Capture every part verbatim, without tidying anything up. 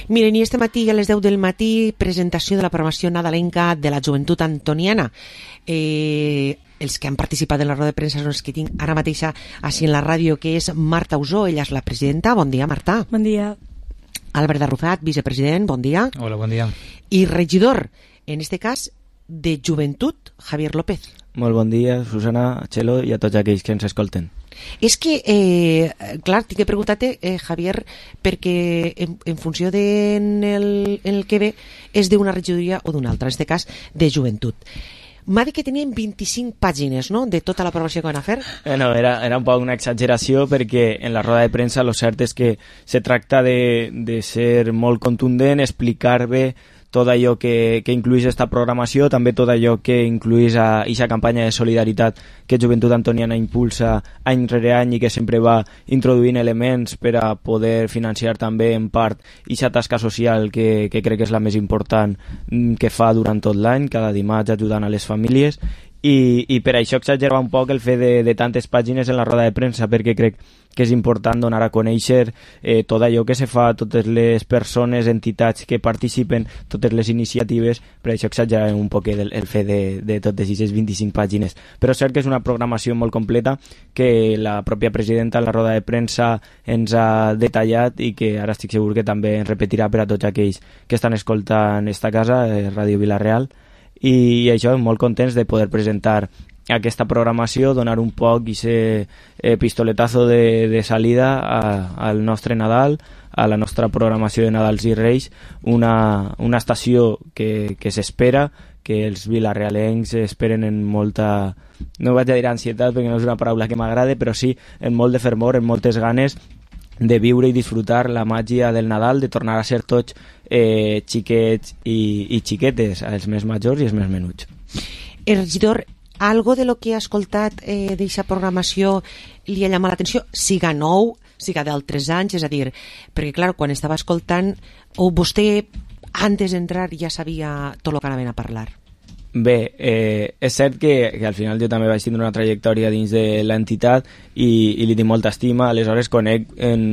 Miren, i este matí a les deu del matí, presentació de la programació nadalenca de la Joventut Antoniana. Eh, els que han participat en la roda de premsa són els que tinc ara mateixa així en la ràdio, que és Marta Usó, ella és la presidenta. Bon dia, Marta. Bon dia. Albert Arrufat, vicepresident, bon dia. Hola, bon dia. I regidor, en este cas, de Joventut, Javier López. Molt bon dia, Susana, a Txelo i a tots aquells que ens escolten. És que, eh, clar, tinc que preguntar-te, eh, Javier, perquè en, en funció de en el, en el que ve és d'una regidoria o d'una altra, en aquest cas de Joventut. M'ha dit que tenien vint-i-cinc pàgines, no?, de tota la programació que van a fer. Eh, no, era, era un poc una exageració, perquè en la roda de premsa lo cert és que se tracta de, de ser molt contundent, explicar bé tot allò que, que incluís esta programació, també tot allò que incluís a aquesta campanya de solidaritat que Joventut Antoniana impulsa any rere any i que sempre va introduint elements per a poder financiar també en part aquesta tasca social que, que crec que és la més important que fa durant tot l'any, cada dimarts ajudant a les famílies. I, i per això exagerava un poc el fet de, de tantes pàgines en la roda de premsa, perquè crec que és important donar a conèixer eh, tot allò que se fa, totes les persones, entitats que participen, totes les iniciatives. Per això exagerava un poc el, el fet de, de totes aquestes vint-i-cinc pàgines. Però és cert que és una programació molt completa que la pròpia presidenta en la roda de premsa ens ha detallat i que ara estic segur que també ens repetirà per a tots aquells que estan escoltant esta casa, eh, Ràdio Vila-real. I això, molt contents de poder presentar aquesta programació, donar un poc aquest eh, pistoletazo de, de salida a, al nostre Nadal, a la nostra programació de Nadals i Reis, una, una estació que, que s'espera, que els vilarrealencs esperen en molta, no vaig a dir ansietat perquè no és una paraula que m'agrade, però sí en molt de fervor, en moltes ganes de viure i disfrutar la màgia del Nadal, de tornar a ser tots eh, xiquets i, i xiquetes, els més majors i els més menuts. El regidor, algo de lo que ha escoltat eh, d'aquesta programació li ha llamat l'atenció, siga nou, siga d'altres anys, és a dir, perquè clar, quan estava escoltant, o vostè antes d'entrar ja sabia tot el que anaven a parlar? Bé, eh, és cert que, que al final jo també vaig tindre una trajectòria dins de l'entitat i, i li tinc molta estima, aleshores conec en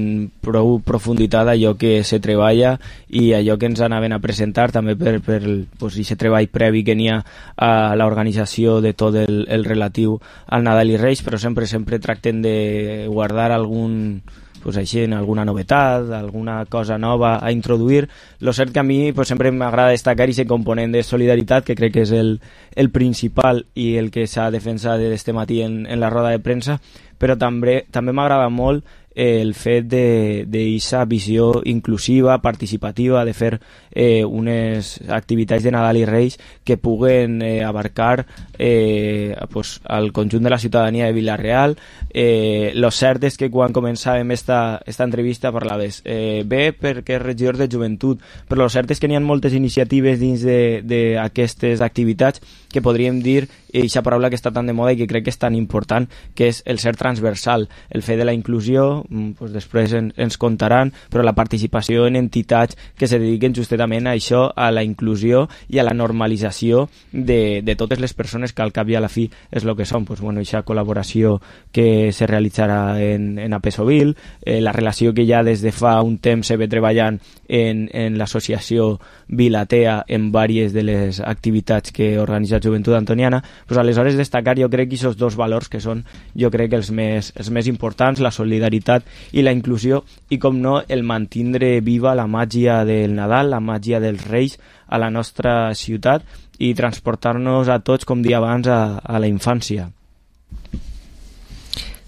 prou profunditat allò que se treballa i allò que ens anaven a presentar, també per, per pues, aquest treball previ que n'hi ha a l'organització de tot el, el relatiu al Nadal i Reis, però sempre sempre tracten de guardar algun... pues així, en alguna novetat, alguna cosa nova a introduir. Lo cert que a mi pues, sempre m'agrada destacar aquest component de solidaritat, que crec que és el, el principal i el que s'ha defensat d'este matí en, en la roda de premsa, però també, també m'agrada molt el fet d'aquesta visió inclusiva, participativa, de fer eh, unes activitats de Nadal i Reis que puguen eh, abarcar eh, pues, el conjunt de la ciutadania de Vila-real. Eh, lo cert és que quan començàvem esta, esta entrevista parlaves eh, bé perquè és regidor de Joventut, però lo cert és que n'hi ha moltes iniciatives dins d'aquestes activitats que podríem dir aquesta paraula que està tan de moda i que crec que és tan important, que és el ser transversal, el fer de la inclusió, pues després en, ens contaran, però la participació en entitats que se dediquen justament a això, a la inclusió i a la normalització de, de totes les persones que al cap i a la fi és el que són. Pues, bueno, aquesta col·laboració que se realitzarà en, en Apesovil, eh, la relació que ja des de fa un temps se ve treballant en, en l'associació Vilatea en diverses de les activitats que organitza Joventut Antoniana. Pues, aleshores destacar jo crec que aquests dos valors que són jo crec que els més, els més importants, la solidaritat i la inclusió, i com no el mantindre viva la màgia del Nadal, la màgia dels Reis a la nostra ciutat i transportar-nos a tots, com dia abans, a, a la infància.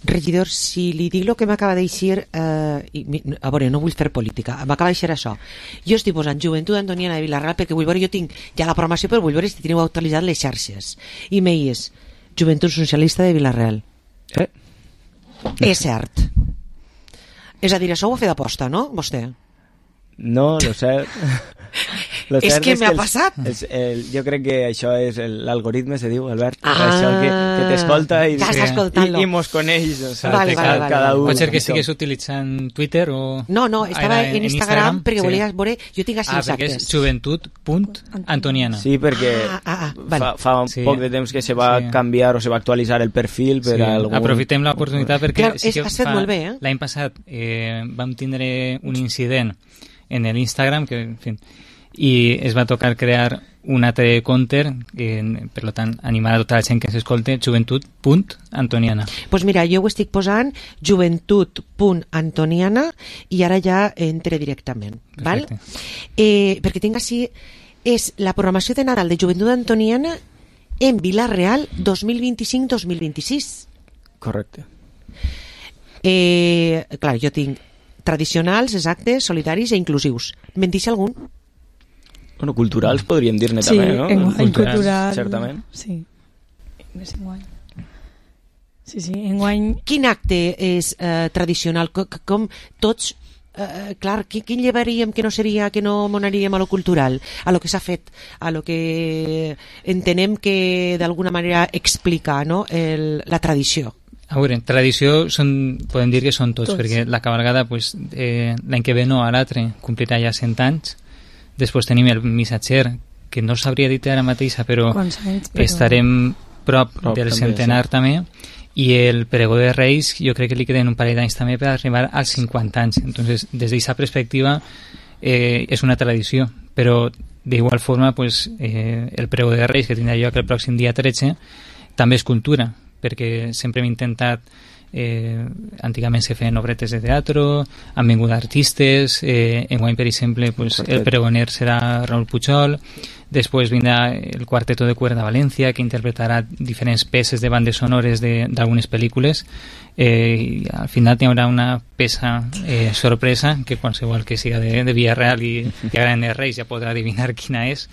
Regidor, si li dic el que m'acaba d'eixir, eh, a veure, no vull fer política, m'acaba d'eixir això. Jo estic posant Joventut Antoniana de Vila-real perquè vull veure, jo tinc ja la programació, però vull veure si teniu actualitzat les xarxes. I m'eix Joventut Socialista de Vila-real. Eh? És cert. És a dir, això ho ha fet d'aposta, no, vostè? No, lo cert... Lo és cert que és m'ha els, passat. Els, el, jo crec que això és l'algoritme, se diu, Albert. Ah, això que, que t'escolta i, ja està escoltant-lo. i, i mos coneix. O sea, vale, vale, cada, cada vale. un. Pot ser que estigués utilitzant Twitter o... No, no, estava en, en Instagram, Instagram perquè sí. volia veure... Jo tinc així ah, els perquè actes. és joventut punt antoniana. Sí, perquè ah, ah, ah, vale. fa, fa un sí. poc de temps que se va sí. canviar o se va actualitzar el perfil per sí. algun... Aprofitem l'oportunitat perquè Clar, sí és, que has fet fa, molt bé, eh? l'any passat eh, vam tindre un incident en el Instagram, que, en fin, i es va tocar crear un altre compte, eh, per tant, animar a tota la gent que s'escolte, joventut punt antoniana. Doncs pues mira, jo ho estic posant joventut punt antoniana i ara ja entre directament. Val? Eh, perquè tinc així, és la programació de Nadal de Joventut Antoniana en Vila-real dos mil vint-i-cinc dos mil vint-i-sis. Correcte. Eh, clar, jo tinc tradicionals, exactes, solidaris i inclusius. Me'n deixa algun? Bueno, culturals podríem dir-ne sí, també, no? Enguany, culturals, cultural. Certament. Sí, més enguany. Sí, sí, enguany... Quin acte és eh, tradicional? Com, com tots... Eh, clar, quin llevaríem que no seria, que no monaríem a lo cultural, a lo que s'ha fet, a lo que entenem que d'alguna manera explica, no? El, la tradició. A veure, tradició són, podem dir que són tots, tots. Perquè la cabalgada pues, eh, l'any que ve no, a l'altre complirà ja cent anys. Després tenim el missatger, que no sabria dir ara mateixa, però, anys, però... estarem prop, prop del també, centenar sí. també, i el pregó de Reis jo crec que li queden un parell d'anys també per arribar als cinquanta anys. Entonces, des d'aquesta perspectiva eh, és una tradició, però d'igual forma pues, eh, el pregó de Reis que tindrà lloc el pròxim dia tretze també és cultura, perquè sempre hem intentat eh, antigament se feien obretes de teatro, han vingut artistes, eh, enguany per exemple pues, el pregoner serà Raúl Pujol, després vindrà el Quarteto de Cuerda València que interpretarà diferents peces de bandes sonores d'algunes pel·lícules, eh, i al final hi haurà una peça eh, sorpresa que qualsevol que siga de, de Villarreal i que agraden els Reis ja podrà adivinar quina és.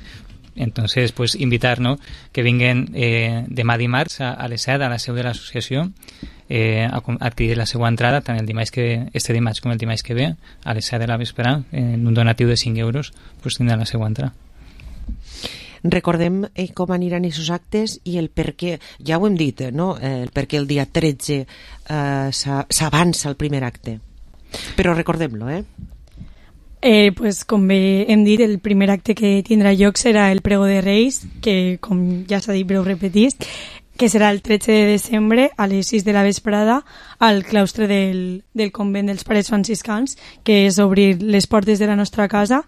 Entonces, pues invitar, ¿no? Que vinguen eh, demà dimarts a, a les set a la seu de l'associació eh, a, a adquirir la seva entrada tant el dimarts que, este dimarts com el dimarts que ve a les set de la vespre en un donatiu de cinc euros pues tindrà la seva entrada. Recordem eh, com aniran aquests actes i el per què, ja ho hem dit, no? El per què el dia tretze eh, s'avança el primer acte, però recordem-lo, eh? Eh, pues, com bé hem dit, el primer acte que tindrà lloc serà el Prego de Reis, que com ja s'ha dit però ho repetís, que serà el tretze de desembre a les sis de la vesprada al claustre del, del convent dels Pares Franciscans, que és obrir les portes de la nostra casa,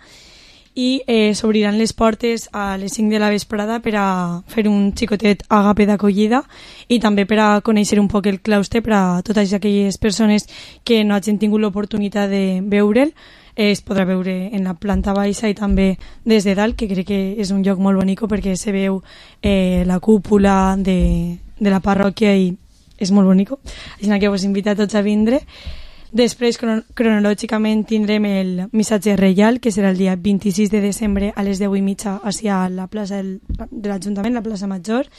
i eh, s'obriran les portes a les cinc de la vesprada per a fer un xicotet agape d'acollida i també per a conèixer un poc el claustre per a totes aquelles persones que no hagin tingut l'oportunitat de veure'l. Es podrà veure en la planta baixa i també des de dalt, que crec que és un lloc molt bonic perquè se veu eh, la cúpula de, de la parròquia i és molt bonic. Així que us invito a tots a vindre. Després, cron cronològicament, tindrem el missatge reial, que serà el dia vint-i-sis de desembre a les deu i mitja hacia la plaça del, de l'Ajuntament, la plaça Major,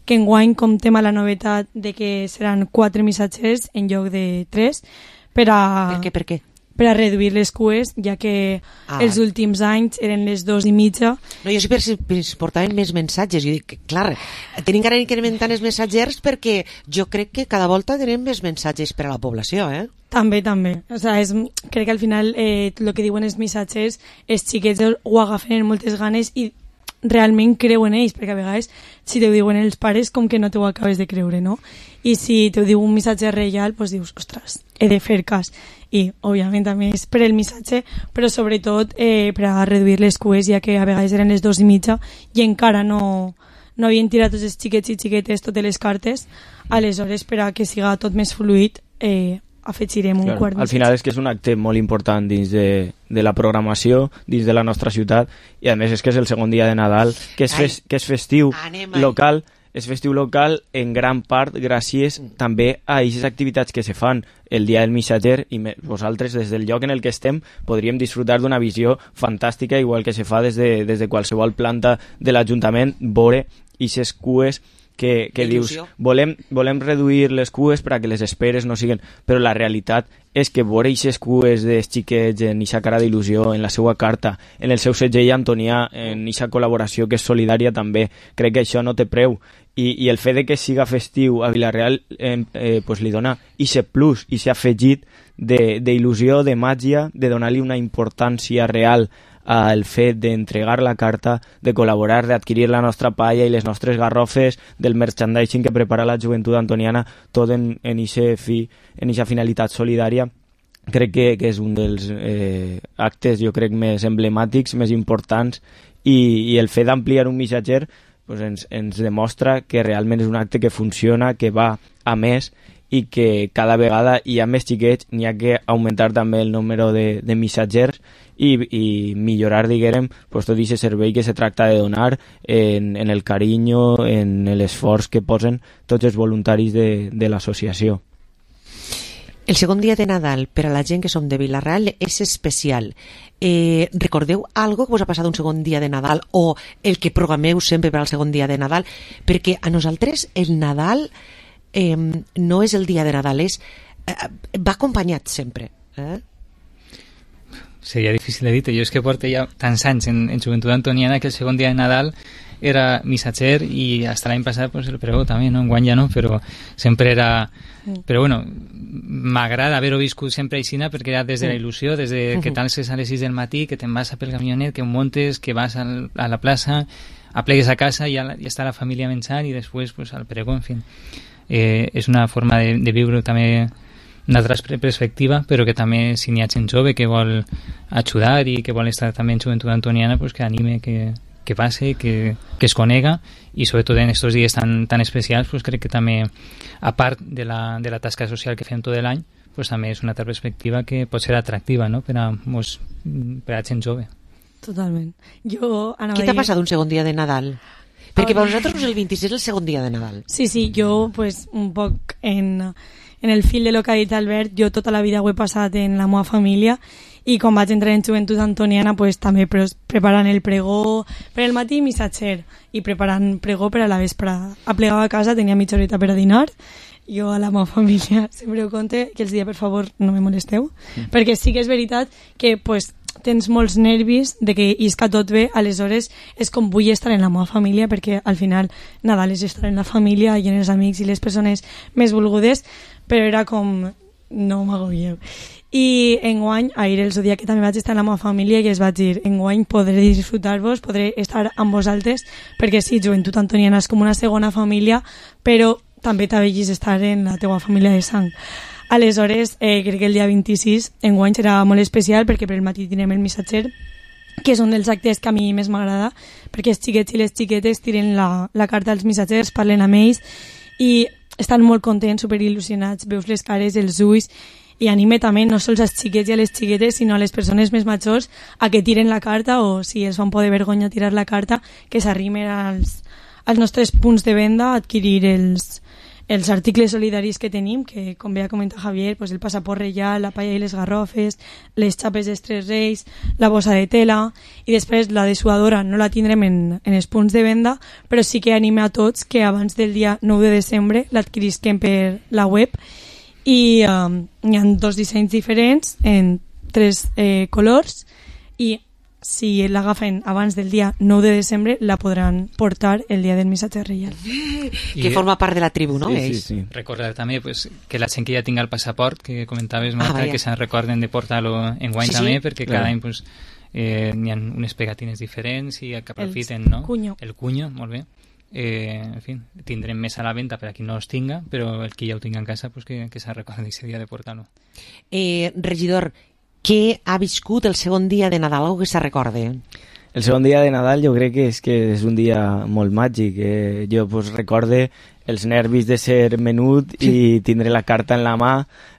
que enguany comptem a la novetat de que seran quatre missatgers en lloc de tres per a... Per què, per què? per a reduir les cues, ja que ah. els últims anys eren les dos i mitja. No, jo sí per si portaven més missatges. Jo dic, clar, tenim que anar incrementant els missatgers perquè jo crec que cada volta tenim més missatges per a la població, eh? També, també. O sea, és, crec que al final eh, el que diuen els missatgers, els xiquets ho agafen amb moltes ganes i realment creuen ells, perquè a vegades si te ho diuen els pares com que no te ho acabes de creure, no? I si te ho diu un missatge reial, doncs dius, ostres, he de fer cas. I, òbviament, també és per el missatge, però sobretot eh, per a reduir les cues, ja que a vegades eren les dos i mitja i encara no, no havien tirat tots els xiquets i xiquetes totes les cartes. Aleshores, per a que siga tot més fluid, eh, afegirem un claro, quart al final és que és un acte molt important dins de, de la programació, dins de la nostra ciutat, i a més és que és el segon dia de Nadal, que és, fes, que és festiu local, és festiu local en gran part gràcies mm. també a aquestes activitats que se fan el dia del missatger, i me, vosaltres des del lloc en el que estem podríem disfrutar d'una visió fantàstica, igual que se fa des de, des de qualsevol planta de l'Ajuntament, veure aquestes cues que, que dius, volem, volem reduir les cues per a que les esperes no siguen, però la realitat és que veure aquestes cues dels xiquets en aquesta cara d'il·lusió, en la seva carta, en el seu segell antonià, en aquesta col·laboració que és solidària també, crec que això no té preu. I, i el fet de que siga festiu a Vila-real eh, eh, pues li dona aquest plus, aquest afegit d'il·lusió, de, de màgia, de donar-li una importància real al fet d'entregar la carta, de col·laborar, d'adquirir la nostra palla i les nostres garrofes, del merchandising que prepara la joventut antoniana, tot en, en ixe fi, en ixa finalitat solidària, crec que, que és un dels eh, actes, jo crec, més emblemàtics, més importants, i, i el fet d'ampliar un missatger pues ens, ens demostra que realment és un acte que funciona, que va a més, i que cada vegada hi ha més xiquets, n'hi ha que augmentar també el número de, de missatgers i, i millorar, diguem, pues, tot aquest servei que se tracta de donar en, en el carinyo, en l'esforç que posen tots els voluntaris de, de l'associació. El segon dia de Nadal per a la gent que som de Vila-real és especial. Eh, recordeu algo que us ha passat un segon dia de Nadal o el que programeu sempre per al segon dia de Nadal? Perquè a nosaltres el Nadal eh, no és el dia de Nadal, és, eh, va acompanyat sempre. Eh? Seria difícil de dir. Jo és que porto ja tants anys en, en Joventut Antoniana que el segon dia de Nadal era missatger i hasta l'any passat pues, el pregó també, no? Enguany ja no, però sempre era... Però bueno, m'agrada haver-ho viscut sempre aixina perquè era des de la il·lusió, des de que t'alces a les sis del matí, que te'n vas a pel camionet, que montes, que vas al, a la plaça, aplegues a casa i ja, ja està la família menjant i després pues, al pregó, en fi. Eh, és una forma de, de viure també una altra perspectiva, però que també si n'hi ha gent jove que vol ajudar i que vol estar també en Joventut Antoniana, pues, que anime que, que passe, que, que es conega i sobretot en aquests dies tan, tan especials pues, crec que també, a part de la, de la tasca social que fem tot l'any, pues, també és una altra perspectiva que pot ser atractiva, no? per, a, mos, per a gent jove. Totalment. Jo anava Què t'ha a dir... passat un segon dia de Nadal? Perquè per nosaltres el vint-i-sis és el segon dia de Nadal. Sí, sí, jo pues, un poc en, en el fil de lo que ha dit Albert, jo tota la vida ho he passat en la meva família i quan vaig entrar en Joventut Antoniana pues, també pre preparant el pregó per el matí missatger i preparant pregó per a la vesprada. Aplegava a casa, tenia mitja horeta per a dinar, jo a la meva família sempre ho conte que els dia per favor no me molesteu, mm. perquè sí que és veritat que pues, tens molts nervis de que isca tot bé, aleshores és com vull estar en la meva família perquè al final Nadal és estar en la família i en els amics i les persones més volgudes, però era com no m'agobieu. I enguany, ahir el dia que també vaig estar en la meva família i es vaig dir, enguany podré disfrutar-vos, podré estar amb vosaltres, perquè sí, Joventut Antoniana és com una segona família, però també t'avellis estar en la teua família de sang. Aleshores, eh, crec que el dia vint-i-sis enguany serà molt especial perquè per el matí tindrem el missatger, que és un dels actes que a mi més m'agrada, perquè els xiquets i les xiquetes tiren la, la carta als missatgers, parlen amb ells i estan molt contents, superil·lusionats, veus les cares, els ulls, i anime també no sols als xiquets i a les xiquetes, sinó a les persones més majors a que tiren la carta o si els fan por de vergonya tirar la carta, que s'arrimen als, als nostres punts de venda a adquirir els, els articles solidaris que tenim, que com bé ha comentat Javier, pues el passaport reial, la palla i les garrofes, les xapes dels Tres Reis, la bossa de tela, i després la dessuadora no la tindrem en, en els punts de venda, però sí que anime a tots que abans del dia nou de desembre l'adquirisquem per la web i um, hi ha dos dissenys diferents en tres eh, colors i si l'agafen abans del dia nou de desembre la podran portar el dia del missatge reial. Que I, forma part de la tribu, no? Sí, sí, sí. Recordar també pues, que la gent que ja tinga el passaport, que comentaves, Marta, ah, que se'n recorden de portar-lo en guany sí, també, sí. perquè cada any pues, eh, n'hi ha unes pegatines diferents i que aprofiten, no? Cuño. El cuño, molt bé. Eh, en fi, tindrem més a la venda per a qui no els tinga, però el qui ja ho tinga en casa pues, que, que se'n recordi aquest dia de portar-lo. Eh, regidor, què ha viscut el segon dia de Nadal? Algo que se recorde? El segon dia de Nadal jo crec que és, que és un dia molt màgic. Eh? Jo pues, recorde els nervis de ser menut i tindre la carta en la mà,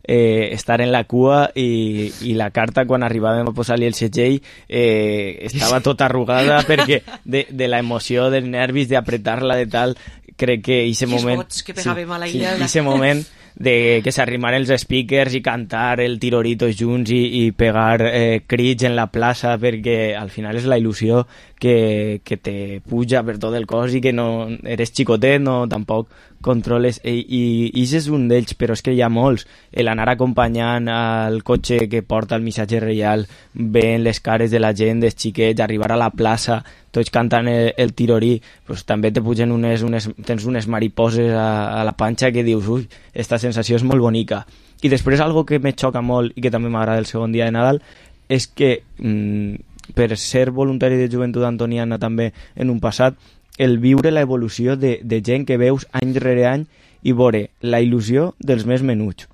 eh, estar en la cua i, i la carta quan arribàvem a posar-li el segell eh, estava tota arrugada perquè de, de la emoció, dels nervis, d'apretar-la de tal, crec que aquest moment... Els vots que pegàvem sí, a la sí, illa. aquest moment de que s'arrimaren els speakers i cantar el tirorito junts i, i pegar eh, crits en la plaça, perquè al final és la il·lusió que, que te puja per tot el cos i que no eres xicotet, no tampoc controles, i, i, i és un d'ells, però és que hi ha molts. L'anar acompanyant al cotxe que porta el missatge reial, veient les cares de la gent, dels xiquets, arribar a la plaça, tots cantant el, el tirorí, pues, també te pugen unes, unes, tens unes mariposes a, a la panxa que dius, ui, esta sensació és molt bonica. I després algo que me xoca molt i que també m'agrada el segon dia de Nadal és que mmm, per ser voluntari de Joventut Antoniana també en un passat, el viure la evolució de, de gent que veus any rere any i veure la il·lusió dels més menuts.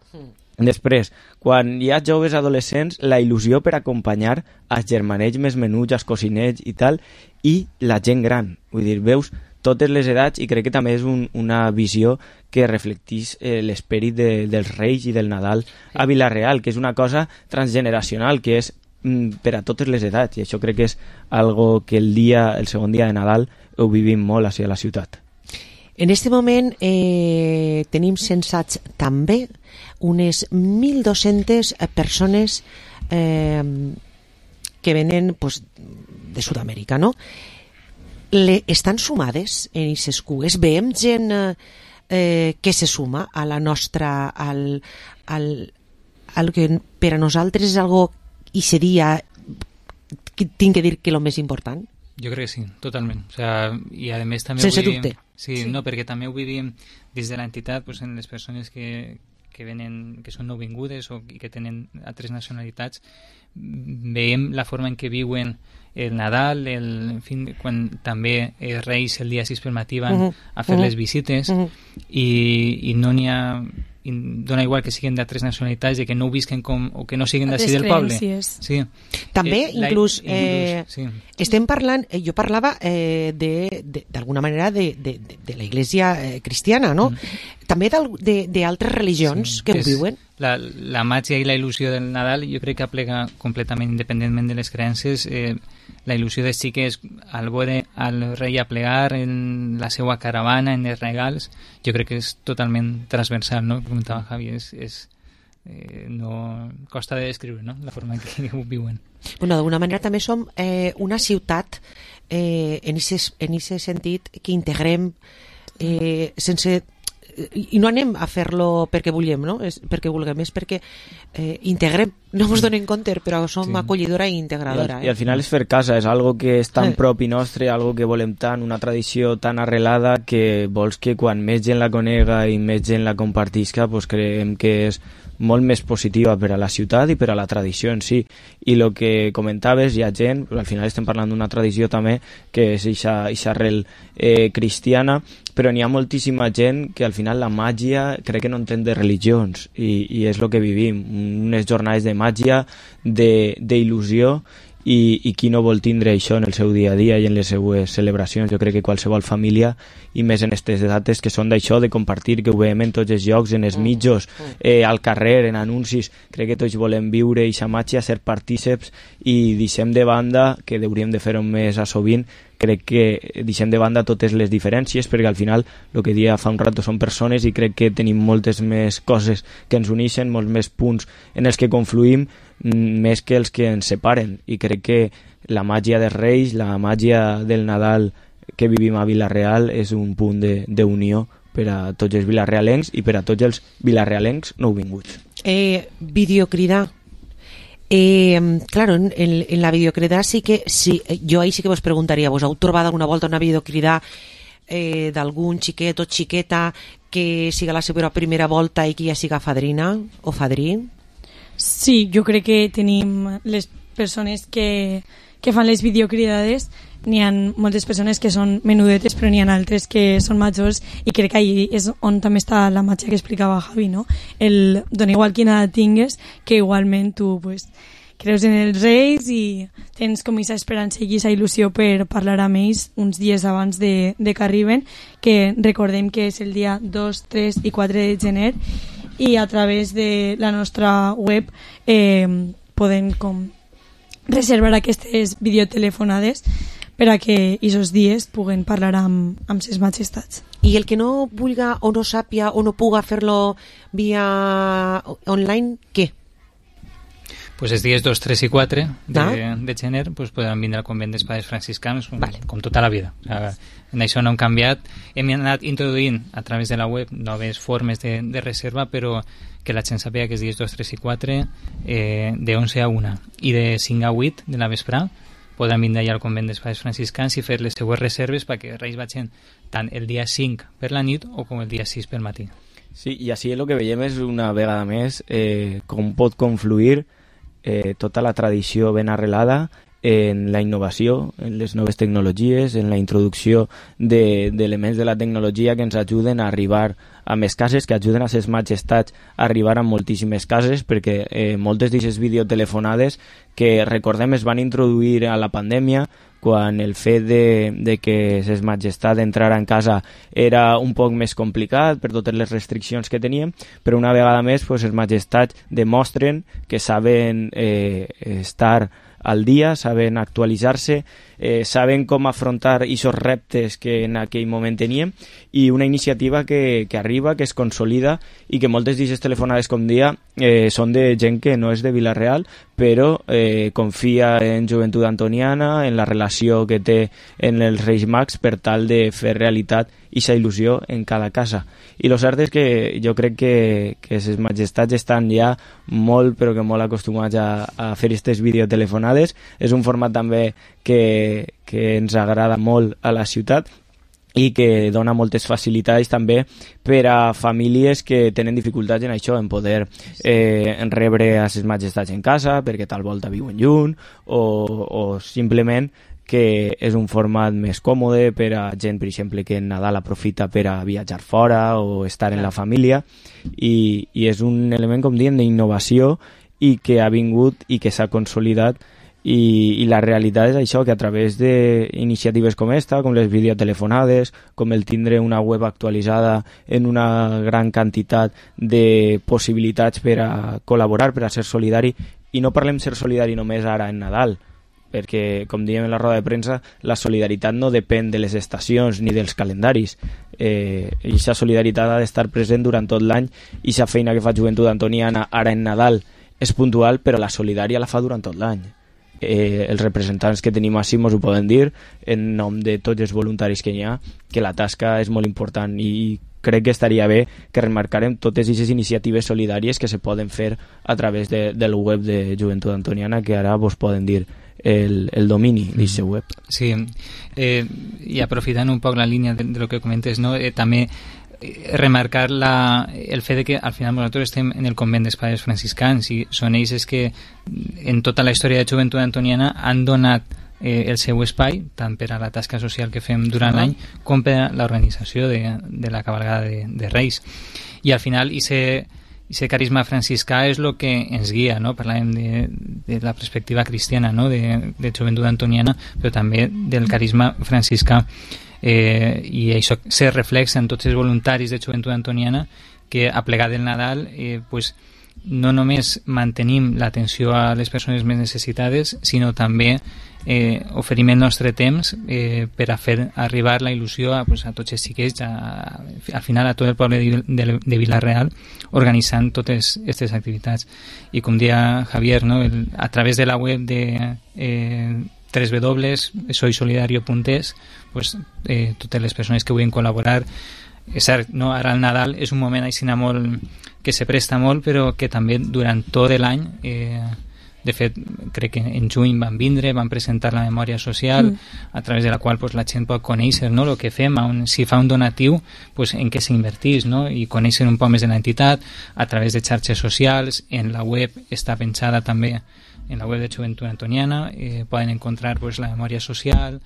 Després, quan hi ha joves adolescents, la il·lusió per acompanyar els germanets més menuts, els cosinets i tal, i la gent gran. Vull dir, veus totes les edats i crec que també és un, una visió que reflecteix eh, l'esperit de, dels Reis i del Nadal a Vila-real, que és una cosa transgeneracional, que és mm, per a totes les edats, i això crec que és algo que el dia, el segon dia de Nadal ho vivim molt a la ciutat. En este moment eh, tenim censats també unes mil dos-centes persones eh, que venen pues, de Sud-amèrica, no? Le, estan sumades en aquestes cues? Veiem gent eh, que se suma a la nostra... Al, al, al que per a nosaltres és algo i seria, que tinc que dir que el més important? Jo crec que sí, totalment. O sea, i a més també sense ho vivim, dubte. Sí, sí, no, perquè també ho vivim des de l'entitat, pues, en les persones que, que venen, que són nouvingudes o que tenen altres nacionalitats, veiem la forma en què viuen el Nadal, el, en fi, quan també els Reis el dia sis pel matí van uh -huh. a fer uh -huh. les visites uh -huh. i, i no n'hi ha... i dona igual que siguin d'altres nacionalitats i que no ho visquen com, o que no siguin d'ací del poble. Sí. També, eh, inclús, la, eh, inclús sí. estem parlant, eh, jo parlava eh, d'alguna manera de, de, de, de la Iglesia eh, cristiana, no? Mm. També d'altres religions sí, que ho viuen. La, la màgia i la il·lusió del Nadal jo crec que aplega completament, independentment de les creences, eh, la il·lusió de sí que és al veure al rei a plegar en la seva caravana, en els regals, jo crec que és totalment transversal, no? Comentava Javi, és, és, eh, no costa de descriure, no? La forma en què ho viuen. Bueno, d'alguna manera també som eh, una ciutat eh, en aquest en ese sentit que integrem eh, sense i no anem a fer-lo perquè vulguem, no? És perquè vulguem, és perquè eh, integrem, no ens donem compte, però som sí. acollidora i integradora. I al, eh? I al final és fer casa, és algo que és tan eh. propi nostre, algo que volem tant, una tradició tan arrelada que vols que quan més gent la conega i més gent la compartisca, pues creiem que és molt més positiva per a la ciutat i per a la tradició en si. I el que comentaves, hi ha gent, al final estem parlant d'una tradició també que és aquesta arrel eh, cristiana, però n'hi ha moltíssima gent que al final la màgia crec que no entén de religions i, i és el que vivim, unes jornades de màgia, d'il·lusió i, i qui no vol tindre això en el seu dia a dia i en les seues celebracions. Jo crec que qualsevol família, i més en aquestes dates que són d'això, de compartir, que ho veiem en tots els llocs, en els mitjos, eh, al carrer, en anuncis, crec que tots volem viure aquesta màgia, ser partíceps i deixem de banda, que hauríem de fer-ho més a sovint, crec que deixem de banda totes les diferències, perquè al final el que dia fa un rato són persones i crec que tenim moltes més coses que ens uneixen, molts més punts en els que confluïm, més que els que ens separen, i crec que la màgia dels Reis, la màgia del Nadal que vivim a Vila-real és un punt d'unió per a tots els vilarealencs i per a tots els vilarealencs nouvinguts. Eh, videocridar. Eh, claro, en, en la videocridar sí que sí, jo ahí sí que vos preguntaria, vos heu trobat alguna volta una videocridar eh, d'algun xiquet o xiqueta que siga la seva primera volta i que ja siga fadrina o fadrí? Sí, jo crec que tenim les persones que, que fan les videocridades, n'hi ha moltes persones que són menudetes, però n'hi ha altres que són majors, i crec que ahí és on també està la màgia que explicava Javi, no? El dona igual quina edat tingues, que igualment tu pues, creus en els Reis i tens com aquesta esperança i aquesta il·lusió per parlar amb ells uns dies abans de, de que arriben, que recordem que és el dia dos, tres i quatre de gener, i a través de la nostra web eh, podem com reservar aquestes videotelefonades per a que aquests dies puguen parlar amb, amb ses majestats. I el que no vulga o no sàpia o no puga fer-lo via online, què? Pues els dies dos, tres i quatre de, ah. de gener pues, podran vindre al convent dels Pares Franciscans com, vale. com tota la vida. O sigui, en això no hem canviat. Hem anat introduint a través de la web noves formes de, de reserva, però que la gent sàpiga que els dies dos, tres i quatre eh, de onze a una i de cinc a vuit de la vesprà podran vindre allà al convent dels Pares Franciscans i fer les seues reserves perquè Reis vagin tant el dia cinc per la nit o com el dia sis pel matí. Sí, i així el que veiem és una vegada més eh, com pot confluir eh, tota la tradició ben arrelada en la innovació, en les noves tecnologies, en la introducció d'elements de, de la tecnologia que ens ajuden a arribar a més cases, que ajuden a ses majestats a arribar a moltíssimes cases, perquè eh, moltes d'aquestes videotelefonades que recordem es van introduir a la pandèmia, quan el fet de, de que ses majestat entrar en casa era un poc més complicat per totes les restriccions que teníem, però una vegada més pues, ses majestats demostren que saben eh, estar al dia, saben actualitzar-se, eh, saben com afrontar aquests reptes que en aquell moment teníem, i una iniciativa que, que arriba, que es consolida, i que moltes d'aquestes telefonades, com dia, eh, són de gent que no és de Vila-real, però eh, confia en Joventut Antoniana, en la relació que té en els Reis Mags per tal de fer realitat aquesta il·lusió en cada casa. I el cert és que jo crec que, que ses majestats estan ja molt, però que molt acostumats a, a fer aquestes videotelefonades. És un format també que, que ens agrada molt a la ciutat i que dona moltes facilitats també per a famílies que tenen dificultats en això, en poder eh, en rebre a ses majestats en casa perquè tal volta viuen lluny, o, o simplement que és un format més còmode per a gent, per exemple, que en Nadal aprofita per a viatjar fora o estar en la família, i, i és un element, com diem, d'innovació i que ha vingut i que s'ha consolidat. I, i la realitat és això, que a través d'iniciatives com esta, com les videotelefonades, com el tindre una web actualitzada en una gran quantitat de possibilitats per a col·laborar, per a ser solidari, i no parlem ser solidari només ara en Nadal, perquè, com diem en la roda de premsa, la solidaritat no depèn de les estacions ni dels calendaris. Eh, i aquesta solidaritat ha d'estar present durant tot l'any, i aquesta feina que fa Joventut Antoniana ara en Nadal és puntual, però la solidària la fa durant tot l'any. Eh, els representants que tenim així mos ho poden dir en nom de tots els voluntaris que hi ha, que la tasca és molt important, i crec que estaria bé que remarcarem totes aquestes iniciatives solidàries que se poden fer a través de, del web de Joventut Antoniana, que ara vos poden dir el, el domini d'aquest web. Sí, eh, i aprofitant un poc la línia de, de lo que comentes, no? eh, també remarcar la, el fet de que al final nosaltres estem en el convent dels Pares Franciscans, i són ells que en tota la història de Joventut Antoniana han donat eh, el seu espai tant per a la tasca social que fem durant l'any com per a l'organització de, de la cabalgada de, de Reis. I al final ese, ese carisma franciscà és el que ens guia, no? Parlàvem de, de la perspectiva cristiana, no? de, de Joventut Antoniana, però també del carisma franciscà. Eh, i això se reflexa en tots els voluntaris de Joventut Antoniana, que a plegar del Nadal eh, pues, no només mantenim l'atenció a les persones més necessitades, sinó també eh, oferim el nostre temps eh, per a fer arribar la il·lusió a, pues, a tots els xiquets, a, al final a tot el poble de, de, de Vila-real, organitzant totes aquestes activitats. I com deia Javier, no? el, a través de la web de eh, w w w punt soy solidario punt es, pues, eh, totes les persones que vulguin col·laborar. És cert, no? Ara el Nadal és un moment així molt que se presta molt, però que també durant tot l'any, eh, de fet crec que en juny van vindre, van presentar la memòria social, mm. a través de la qual pues, la gent pot conèixer, no? El que fem, un, si fa un donatiu, pues, en què s'invertís, no? I conèixer un poc més de l'entitat a través de xarxes socials. En la web està pensada també, en la web de Joventut Antoniana, eh, poden encontrar pues, la memòria social,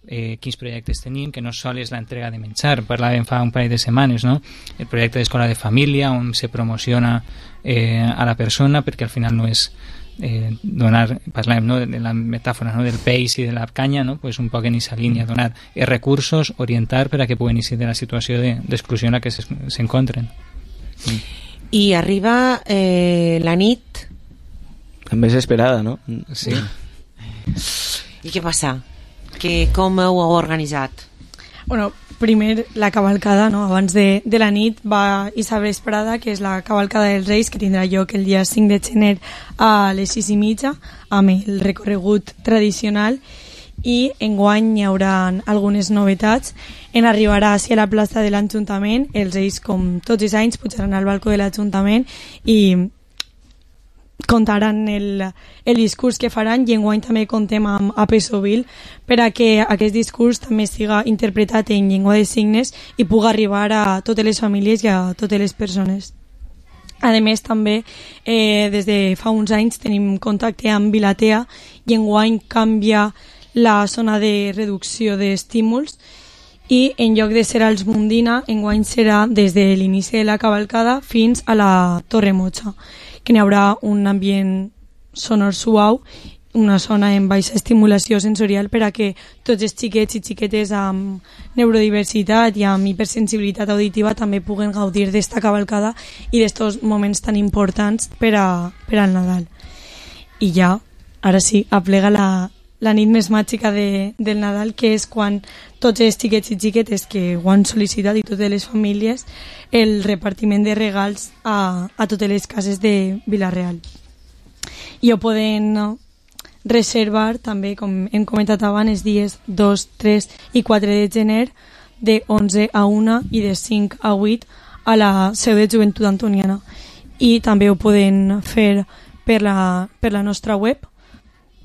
eh, quins projectes tenim, que no sol és l'entrega de menjar, parlàvem fa un parell de setmanes, no? El projecte d'escola de família, on se promociona eh, a la persona, perquè al final no és eh, donar, parlàvem, no? de la metàfora, no? del peix i de la canya, no? Pues un poc en aquesta línia, donar els recursos, orientar per a que puguen eixir de la situació d'exclusió en la que s'encontren. Sí. I arriba eh, la nit també és esperada, no? Sí. I què passa? Que, com ho heu organitzat? Bueno, primer la cavalcada, no? Abans de, de la nit va Isa Vesprada, que és la cavalcada dels Reis, que tindrà lloc el dia cinc de gener a les sis i mitja, amb el recorregut tradicional, i enguany hi haurà algunes novetats. En arribar a la plaça de l'Ajuntament, els Reis, com tots els anys, pujaran al balcó de l'Ajuntament i contaran el, el discurs que faran, i enguany també contem amb A P Sovil per a que aquest discurs també siga interpretat en llengua de signes i pugui arribar a totes les famílies i a totes les persones. A més, també, eh, des de fa uns anys tenim contacte amb Vilatea i enguany canvia la zona de reducció d'estímuls i en lloc de ser als Mundina, enguany serà des de l'inici de la cavalcada fins a la Torre Mocha, que n'hi haurà un ambient sonor suau, una zona amb baixa estimulació sensorial per a que tots els xiquets i xiquetes amb neurodiversitat i amb hipersensibilitat auditiva també puguen gaudir d'esta cavalcada i d'estos moments tan importants per, a, per al Nadal. I ja, ara sí, aplega la, la nit més màgica de, del Nadal, que és quan tots els xiquets i xiquetes que ho han sol·licitat i totes les famílies, el repartiment de regals a, a totes les cases de Vila-real. I ho poden reservar també, com hem comentat abans, els dies dos, tres i quatre de gener de onze a una i de cinc a vuit a la seu de Joventut Antoniana. I també ho poden fer per la, per la nostra web,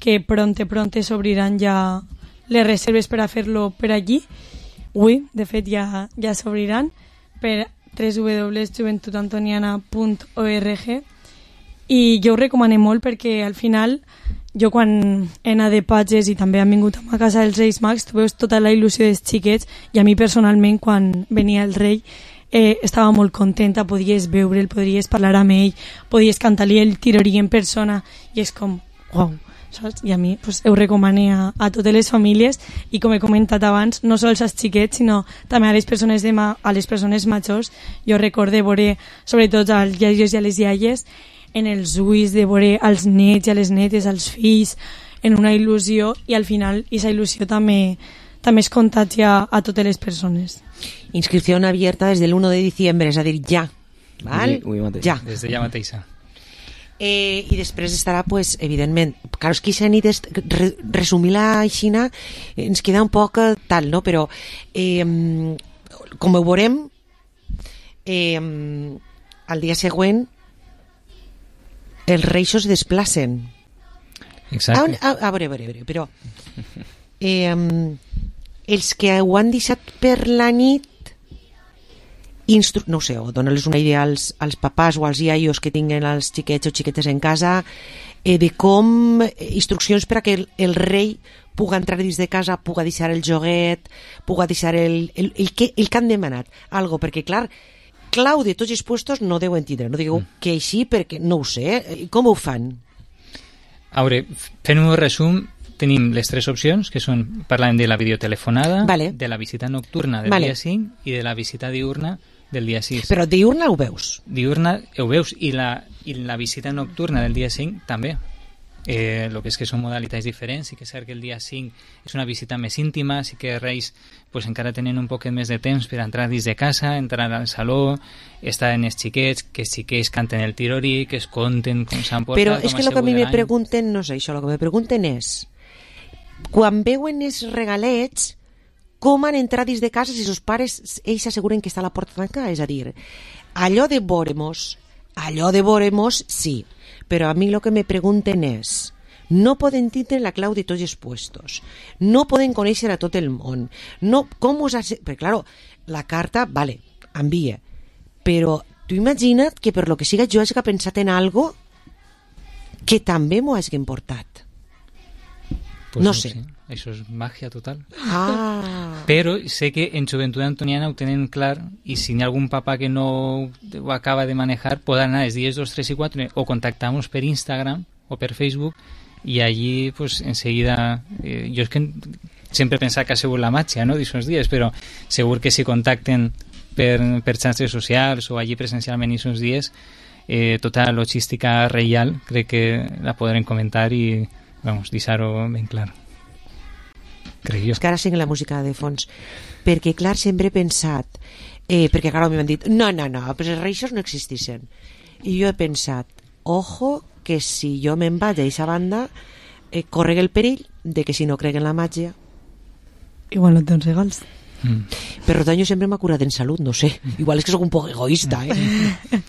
que pronte, pronte s'obriran ja les reserves per a fer-lo per allí. Ui, de fet, ja, ja s'obriran per w w w punt joventut antoniana punt org i jo ho recomano molt perquè al final jo quan he anat de patges i també han vingut a casa dels Reis Mags, tu veus tota la il·lusió dels xiquets i a mi personalment quan venia el rei eh, estava molt contenta, podies veure'l, podries parlar amb ell, podies cantar-li el tirorí en persona i és com, uau, saps? I a mi pues, ho recomano a, a totes les famílies i com he comentat abans, no sols als xiquets sinó també a les persones, de ma, a les persones majors. Jo recordo veure sobretot als iaios i a les iaies en els ulls de veure als nets i a les netes, als fills, en una il·lusió i al final aquesta il·lusió també, també es contagia a totes les persones. Inscripción abierta desde el uno de diciembre, és a dir, ja. Val? Ui, ui, ja. Des de ja mateixa. Eh, I després estarà, pues, evidentment, clar, és que aquesta nit és, re, resumir-la aixina ens queda un poc tal, no? Però eh, com ho veurem eh, al dia següent els reis es desplacen. Exacte. A, a, a veure, a veure, a veure, però eh, els que ho han deixat per la nit instru... no ho sé, o donar-los una idea als, als papàs o als iaios que tinguen els xiquets o xiquetes en casa eh, de com instruccions per a que el, el rei puga entrar dins de casa, puga deixar el joguet, puga deixar el, el, el, que, el que han demanat algo, perquè clar, clau de tots els puestos no deuen tindre, no digueu mm. que així perquè no ho sé, com ho fan? A veure, fent un resum, tenim les tres opcions, que són, parlàvem de la videotelefonada, vale. de la visita nocturna del vale. dia cinc i de la visita diurna del dia sis. Però diurna ho veus? Diurna ho veus, i la, i la visita nocturna del dia cinc també. Eh, el que és que són modalitats diferents, sí que és cert que el dia cinc és una visita més íntima, sí que els Reis pues, encara tenen un poquet més de temps per entrar dins de casa, entrar al saló, estar en els xiquets, que els xiquets canten el tirorí, que es conten com s'han portat. Però és que el que a mi me pregunten no és això, el que me pregunten és quan veuen els regalets com han entrat dins de casa si els pares ells s'asseguren que està a la porta tancada, és a dir, allò de veuremos allò de veuremos sí, però a mi el que me pregunten és no poden tindre la clau de tots els puestos, no poden conèixer a tot el món, no, com us has... perquè clar, la carta, vale, envia, però tu imagina't que per lo que siga jo hagi pensat en algo que també m'ho hagin portat. Pues no no sé. sé, això és màgia total. Ah. Però sé que en Joventut Antoniana ho tenen clar i si hi ha algun papà que no ho acaba de manejar, pot anar els dies dos, tres i quatre o contactar-nos per Instagram o per Facebook i allí pues, enseguida eh, jo és que sempre he pensat que ha sigut la màgia no, d'aquests dies, però segur que si contacten per, per xarxes socials o allí presencialment aquests dies eh, tota la logística reial crec que la podrem comentar i vamos, deixar-ho ben clar. Crec jo. És que ara sent la música de fons perquè clar, sempre he pensat eh, perquè clar, m'han dit, no, no, no però els reixos no existissin i jo he pensat, ojo que si jo me'n vaig a aquesta banda eh, correga el perill de que si no crec en la màgia igual no tens regals mm. per tant jo sempre m'ha curat en salut, no sé, igual és que sóc un poc egoista eh?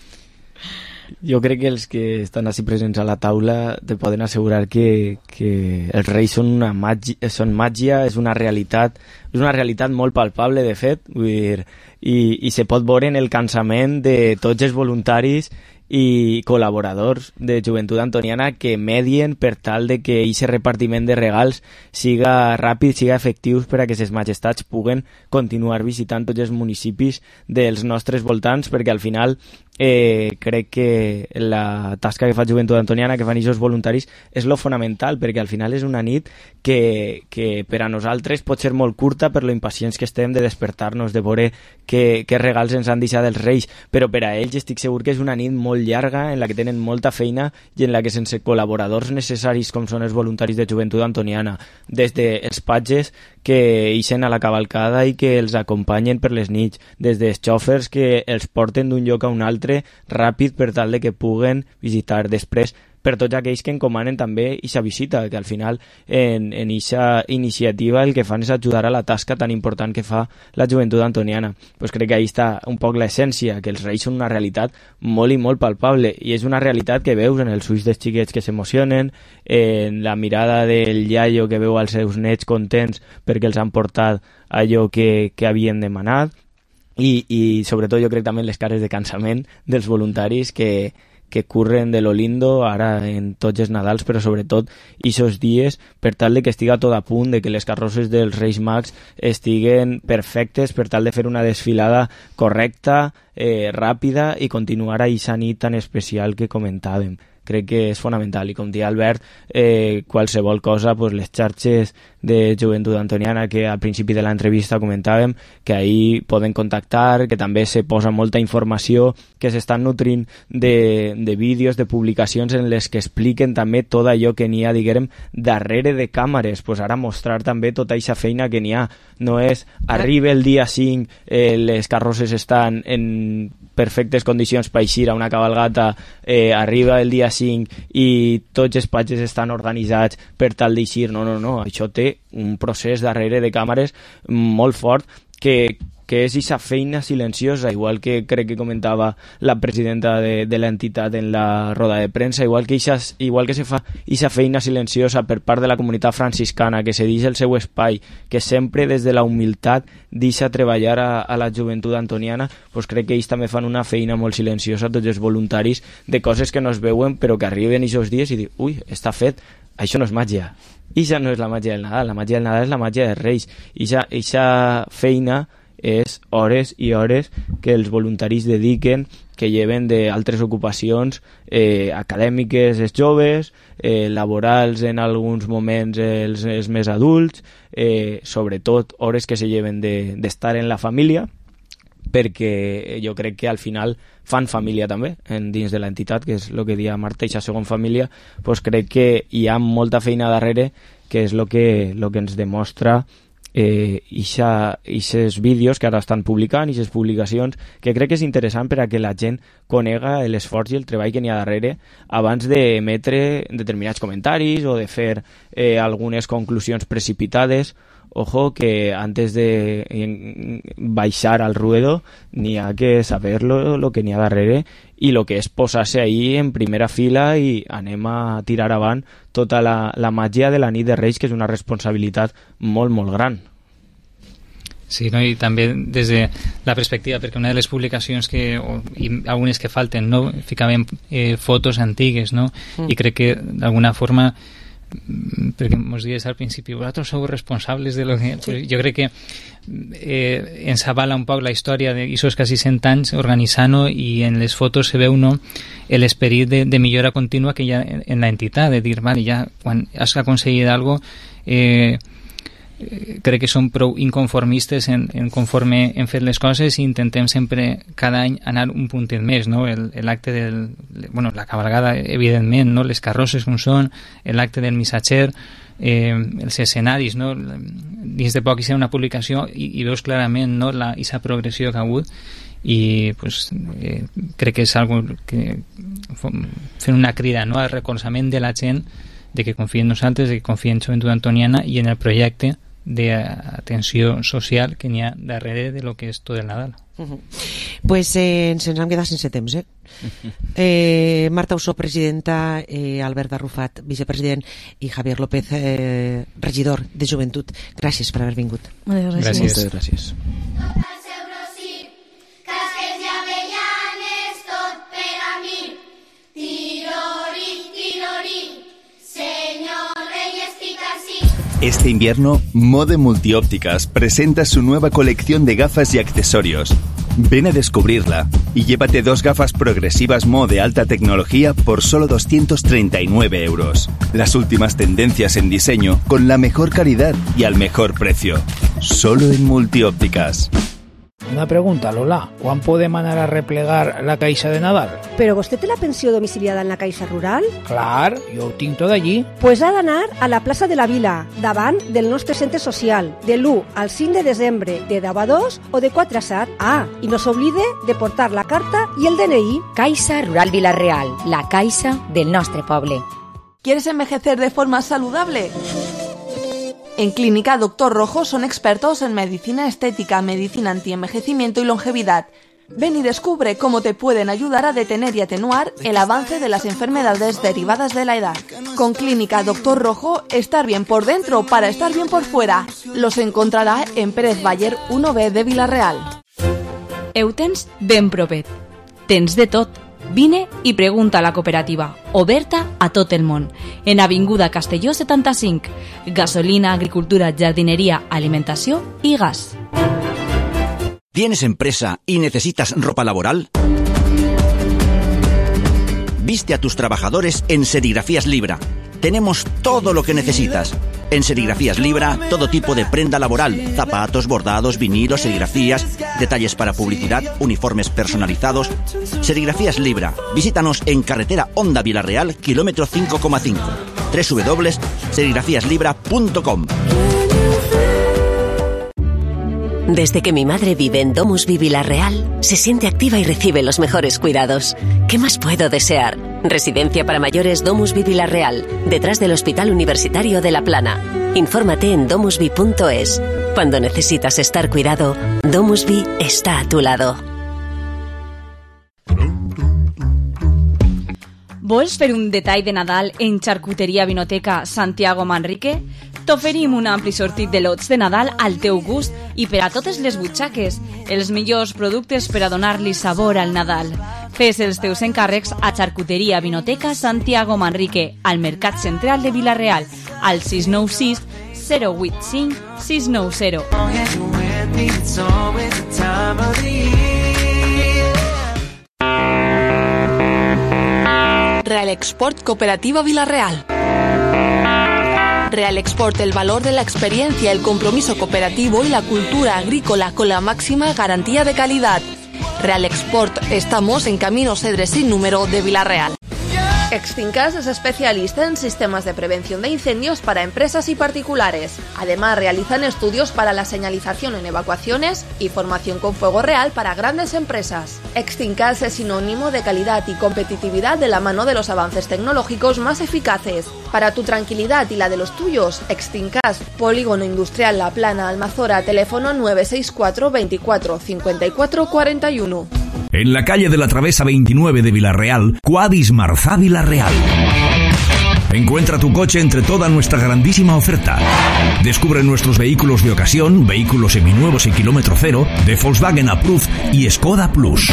Jo crec que els que estan així presents a la taula te poden assegurar que, que els reis són una màgia, són màgia, és una realitat, és una realitat molt palpable, de fet, vull dir, i, i se pot veure en el cansament de tots els voluntaris i col·laboradors de Joventut Antoniana que medien per tal de que aquest repartiment de regals siga ràpid, siga efectiu per a que ses majestats puguen continuar visitant tots els municipis dels nostres voltants, perquè al final eh, crec que la tasca que fa Joventut Antoniana, que fan aquests voluntaris, és lo fonamental, perquè al final és una nit que, que per a nosaltres pot ser molt curta per lo impacients que estem de despertar-nos, de veure què, què regals ens han deixat els Reis, però per a ells estic segur que és una nit molt llarga en la que tenen molta feina i en la que sense col·laboradors necessaris com són els voluntaris de Joventut Antoniana, des dels patges que ixen a la cavalcada i que els acompanyen per les nits, des dels xòfers que els porten d'un lloc a un altre ràpid per tal de que puguen visitar. Després, per tots aquells que encomanen també aquesta visita, que al final en aquesta iniciativa el que fan és ajudar a la tasca tan important que fa la Joventut Antoniana. Pues crec que ahí està un poc l'essència, que els Reis són una realitat molt i molt palpable, i és una realitat que veus en els ulls dels xiquets que s'emocionen, en la mirada del iaio que veu als seus nets contents perquè els han portat allò que, que havien demanat, i, i sobretot jo crec també les cares de cansament dels voluntaris que que curren de lo lindo ara en tots els Nadals, però sobretot aquests dies per tal de que estiga tot a punt, de que les carrosses dels Reis Mags estiguen perfectes per tal de fer una desfilada correcta, eh, ràpida i continuar a aquesta nit tan especial que comentàvem. Crec que és fonamental, i com deia Albert, eh, qualsevol cosa, pues, les xarxes de Joventut Antoniana que al principi de l'entrevista comentàvem, que ahí poden contactar, que també se posa molta informació, que s'estan nutrint de, de vídeos, de publicacions en les que expliquen també tot allò que n'hi ha, diguem, darrere de càmeres, pues ara mostrar també tota aquesta feina que n'hi ha. No és, arriba el dia cinc, eh, les carrosses estan en perfectes condicions per eixir a una cabalgata, eh, arriba el dia cinc i tots els patges estan organitzats per tal d'eixir. No, no, no, això té un procés darrere de càmeres molt fort que, que és aquesta feina silenciosa, igual que crec que comentava la presidenta de, de l'entitat en la roda de premsa, igual que, ixa, igual que se fa aquesta feina silenciosa per part de la comunitat franciscana, que se deixa el seu espai, que sempre des de la humilitat deixa treballar a, a la Joventut Antoniana, doncs crec que ells també fan una feina molt silenciosa, tots els voluntaris, de coses que no es veuen però que arriben aquests dies i diuen, ui, està fet, això no és màgia. Ixa no és la màgia del Nadal, la màgia del Nadal és la màgia dels Reis. Ixa, ixa feina és hores i hores que els voluntaris dediquen, que lleven d'altres ocupacions eh, acadèmiques els joves, eh, laborals en alguns moments els, els més adults, eh, sobretot hores que se lleven d'estar de, en la família, perquè jo crec que al final fan família també en, dins de l'entitat, que és el que dia Marta, i la segona família, doncs crec que hi ha molta feina darrere, que és el que, lo que ens demostra eh, aquests vídeos que ara estan publicant, aquestes publicacions, que crec que és interessant per a que la gent conega l'esforç i el treball que n'hi ha darrere abans d'emetre determinats comentaris o de fer eh, algunes conclusions precipitades. Ojo, que antes de baixar al ruedo n'hi ha que saber lo, lo que n'hi ha darrere i lo que és posar-se ahí en primera fila i anem a tirar avant tota la, la màgia de la nit de Reis, que és una responsabilitat molt, molt gran. Sí, no? I també des de la perspectiva, perquè una de les publicacions que, o, i algunes que falten, no? Ficaven eh, fotos antigues, no? Mm. I crec que d'alguna forma, perquè ens dies al principi, vosaltres sou responsables de lo que... Sí. Pues jo crec que eh, ens avala un poc la història d'aixòs quasi cent anys organitzant-ho, i en les fotos se veu, no, l'esperit de, de millora contínua que hi ha en, en l'entitat, de dir, vale, ja quan has aconseguit alguna cosa, eh, crec que som prou inconformistes en, en conforme hem fet les coses, i intentem sempre cada any anar un puntet més, no? L'acte del... bueno, la cabalgada, evidentment, no? Les carrosses com són, l'acte del missatger, eh, els escenaris, no? Dins de poc hi serà una publicació i, i veus clarament, no, la, aquesta progressió que ha hagut, i pues, eh, crec que és algo que fent una crida, no?, al recolzament de la gent, de que confia en nosaltres, de que confia en Joventut Antoniana i en el projecte d'atenció social que n'hi ha darrere de lo que és tot el Nadal. Uh-huh. Pues eh, ens hem quedat sense temps, eh? eh Marta Ossó, presidenta, eh, Albert Arrufat, vicepresident, i Javier López, eh, regidor de Joventut. Gràcies per haver vingut. Moltes gràcies. Gràcies. Moltes gràcies. Casques i avellanes, tot per a mi. Este invierno, Mode Multiópticas presenta su nueva colección de gafas y accesorios. Ven a descubrirla y llévate dos gafas progresivas Mo de alta tecnología por solo doscientos treinta y nueve euros. Las últimas tendencias en diseño con la mejor calidad y al mejor precio. Solo en Multiópticas. Una pregunta, Lola. ¿Quan podem anar a replegar la caixa de Nadal? ¿Pero vostè té la pensió domiciliada en la Caixa Rural? Clar, jo ho tinc tot allí. Pues ha d'anar a la plaça de la Vila, davant del nostre centre social, de l'u al cinc de desembre, de deu a dos o de quatre a set. Ah, i no s'oblide de portar la carta i el D N I. Caixa Rural Vila-real, la caixa del nostre poble. ¿Quieres envejecer de forma saludable? En Clínica Doctor Rojo son expertos en medicina estética, medicina antienvejecimiento y longevidad. Ven y descubre cómo te pueden ayudar a detener y atenuar el avance de las enfermedades derivadas de la edad. Con Clínica Doctor Rojo, estar bien por dentro para estar bien por fuera. Los encontrará en Pérez Baller uno B de Vila-real. Eutens ben propet. Tens de tot. Vine i pregunta a la cooperativa, oberta a tot el món, en Avinguda Castelló setanta-cinc. Gasolina, agricultura, jardinería, alimentació i gas. ¿Tienes empresa y necesitas ropa laboral? Viste a tus trabajadores en Serigrafías Libra. Tenemos todo lo que necesitas. En Serigrafías Libra, todo tipo de prenda laboral, zapatos, bordados, vinilos, serigrafías, detalles para publicidad, uniformes personalizados. Serigrafías Libra. Visítanos en carretera Honda Vila-real, kilómetro cinco coma cinco. doble u doble u doble u punto serigrafías libra punto com. Desde que mi madre vive en Domusvi Vila-real, se siente activa y recibe los mejores cuidados. ¿Qué más puedo desear? Residencia para mayores Domusvi Vila-real, detrás del Hospital Universitario de La Plana. Infórmate en domusvi punto es. Cuando necesitas estar cuidado, Domusvi está a tu lado. Vols fer un detall de Nadal en Charcuteria Vinoteca Santiago Manrique? T'oferim un ampli sortit de lots de Nadal al teu gust i per a totes les butxaques, els millors productes per a donar-li sabor al Nadal. Fes els teus encàrrecs a Charcuteria Vinoteca Santiago Manrique, al Mercat Central de Vila-real, al sis nou sis zero vuit cinc sis nou zero. Real Export Cooperativa Vila-real. Real Export, el valor de la experiencia, el compromiso cooperativo y la cultura agrícola con la máxima garantía de calidad. Real Export, estamos en Camino Cedres sin número de Vila-real. Extincas es especialista en sistemas de prevención de incendios para empresas y particulares. Además, realizan estudios para la señalización en evacuaciones y formación con fuego real para grandes empresas. Extincas es sinónimo de calidad y competitividad de la mano de los avances tecnológicos más eficaces. Para tu tranquilidad y la de los tuyos, Extincas, Polígono Industrial La Plana, Almazora, teléfono nueve seis cuatro veinticuatro cincuenta y cuatro cuarenta y uno. En la calle de la Travesa veintinueve de Vila-real, Quadis Marzá Vila-real. Encuentra tu coche entre toda nuestra grandísima oferta. Descubre nuestros vehículos de ocasión, vehículos seminuevos y kilómetro cero, de Volkswagen Approved y Skoda Plus.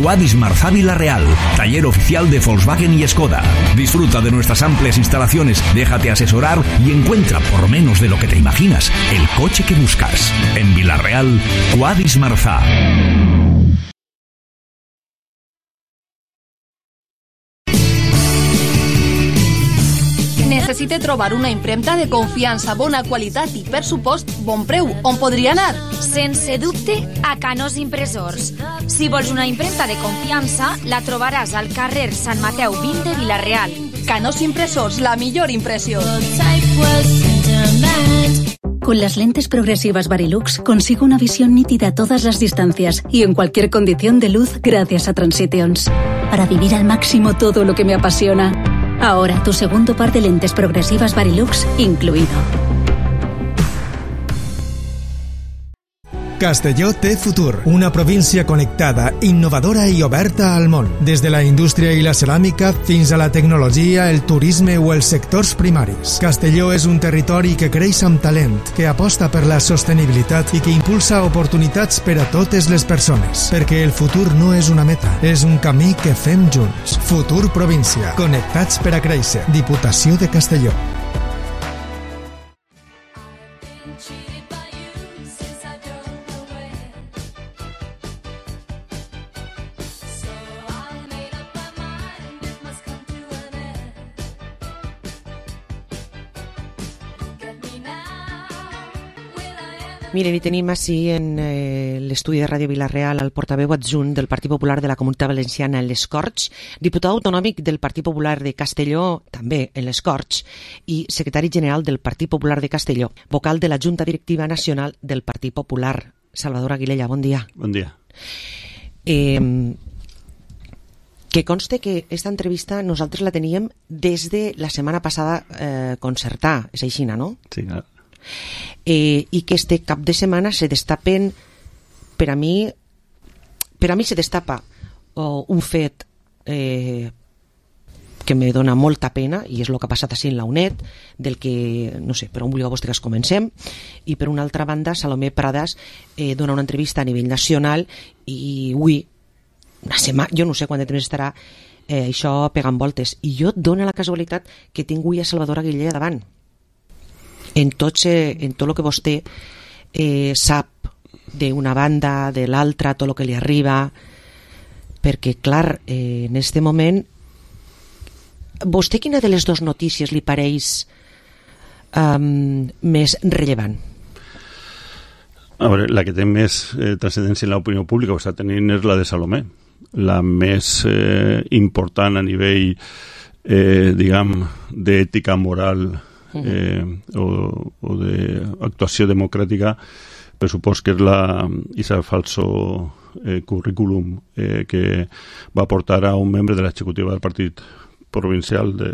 Quadis Marzá Vila-real, taller oficial de Volkswagen y Skoda. Disfruta de nuestras amplias instalaciones, déjate asesorar y encuentra, por menos de lo que te imaginas, el coche que buscas. En Vila-real, Quadis Marzá. Necessite trobar una impremta de confiança, bona qualitat i, per supost, bon preu. On podria anar? Sense dubte, a Canós Impressors. Si vols una impremta de confiança, la trobaràs al carrer Sant Mateu vint de Vila-real. Canós Impressors, la millor impressió. Con las lentes progresivas Varilux consigo una visión nítida a todas las distancias y en cualquier condición de luz gracias a Transitions. Para vivir al máximo todo lo que me apasiona. Ahora tu segundo par de lentes progresivas Varilux incluido. Castelló té futur, una província connectada, innovadora i oberta al món. Des de la indústria i la ceràmica fins a la tecnologia, el turisme o els sectors primaris. Castelló és un territori que creix amb talent, que aposta per la sostenibilitat i que impulsa oportunitats per a totes les persones. Perquè el futur no és una meta, és un camí que fem junts. Futur Província. Connectats per a créixer. Diputació de Castelló. Miren, i tenim així en eh, l'estudi de Ràdio Vila-real el portaveu adjunt del Partit Popular de la Comunitat Valenciana en les Corts, diputat autonòmic del Partit Popular de Castelló, també en les Corts, i secretari general del Partit Popular de Castelló, vocal de la Junta Directiva Nacional del Partit Popular. Salvador Aguilella, bon dia. Bon dia. Eh, que conste que esta entrevista nosaltres la teníem des de la setmana passada eh, concertar, és així, no? Sí, clar. Eh, i que este cap de setmana se destapen, per a mi per a mi se destapa oh, un fet eh, que me dona molta pena, i és el que ha passat així en la UNED, del que, no sé, per on vulgueu vostres comencem. I per una altra banda, Salomé Pradas eh, dona una entrevista a nivell nacional i ui, una setmana, jo no sé quant de temps estarà eh, això pegant voltes, i jo dona la casualitat que tinc avui a Salvador Aguilella davant. En tot, en tot el que vostè eh, sap d'una banda, de l'altra, tot el que li arriba, perquè, clar, eh, en este moment, vostè quina de les dues notícies li pareix um, més rellevant? A veure, la que té més eh, transcendència en l'opinió pública o està tenint és la de Salomé, la més eh, important a nivell, eh, diguem, d'ètica moral Eh, o, o d'actuació democràtica, per supòs que és la isa falso eh, currículum eh, que va portar a un membre de l'executiva del partit provincial de,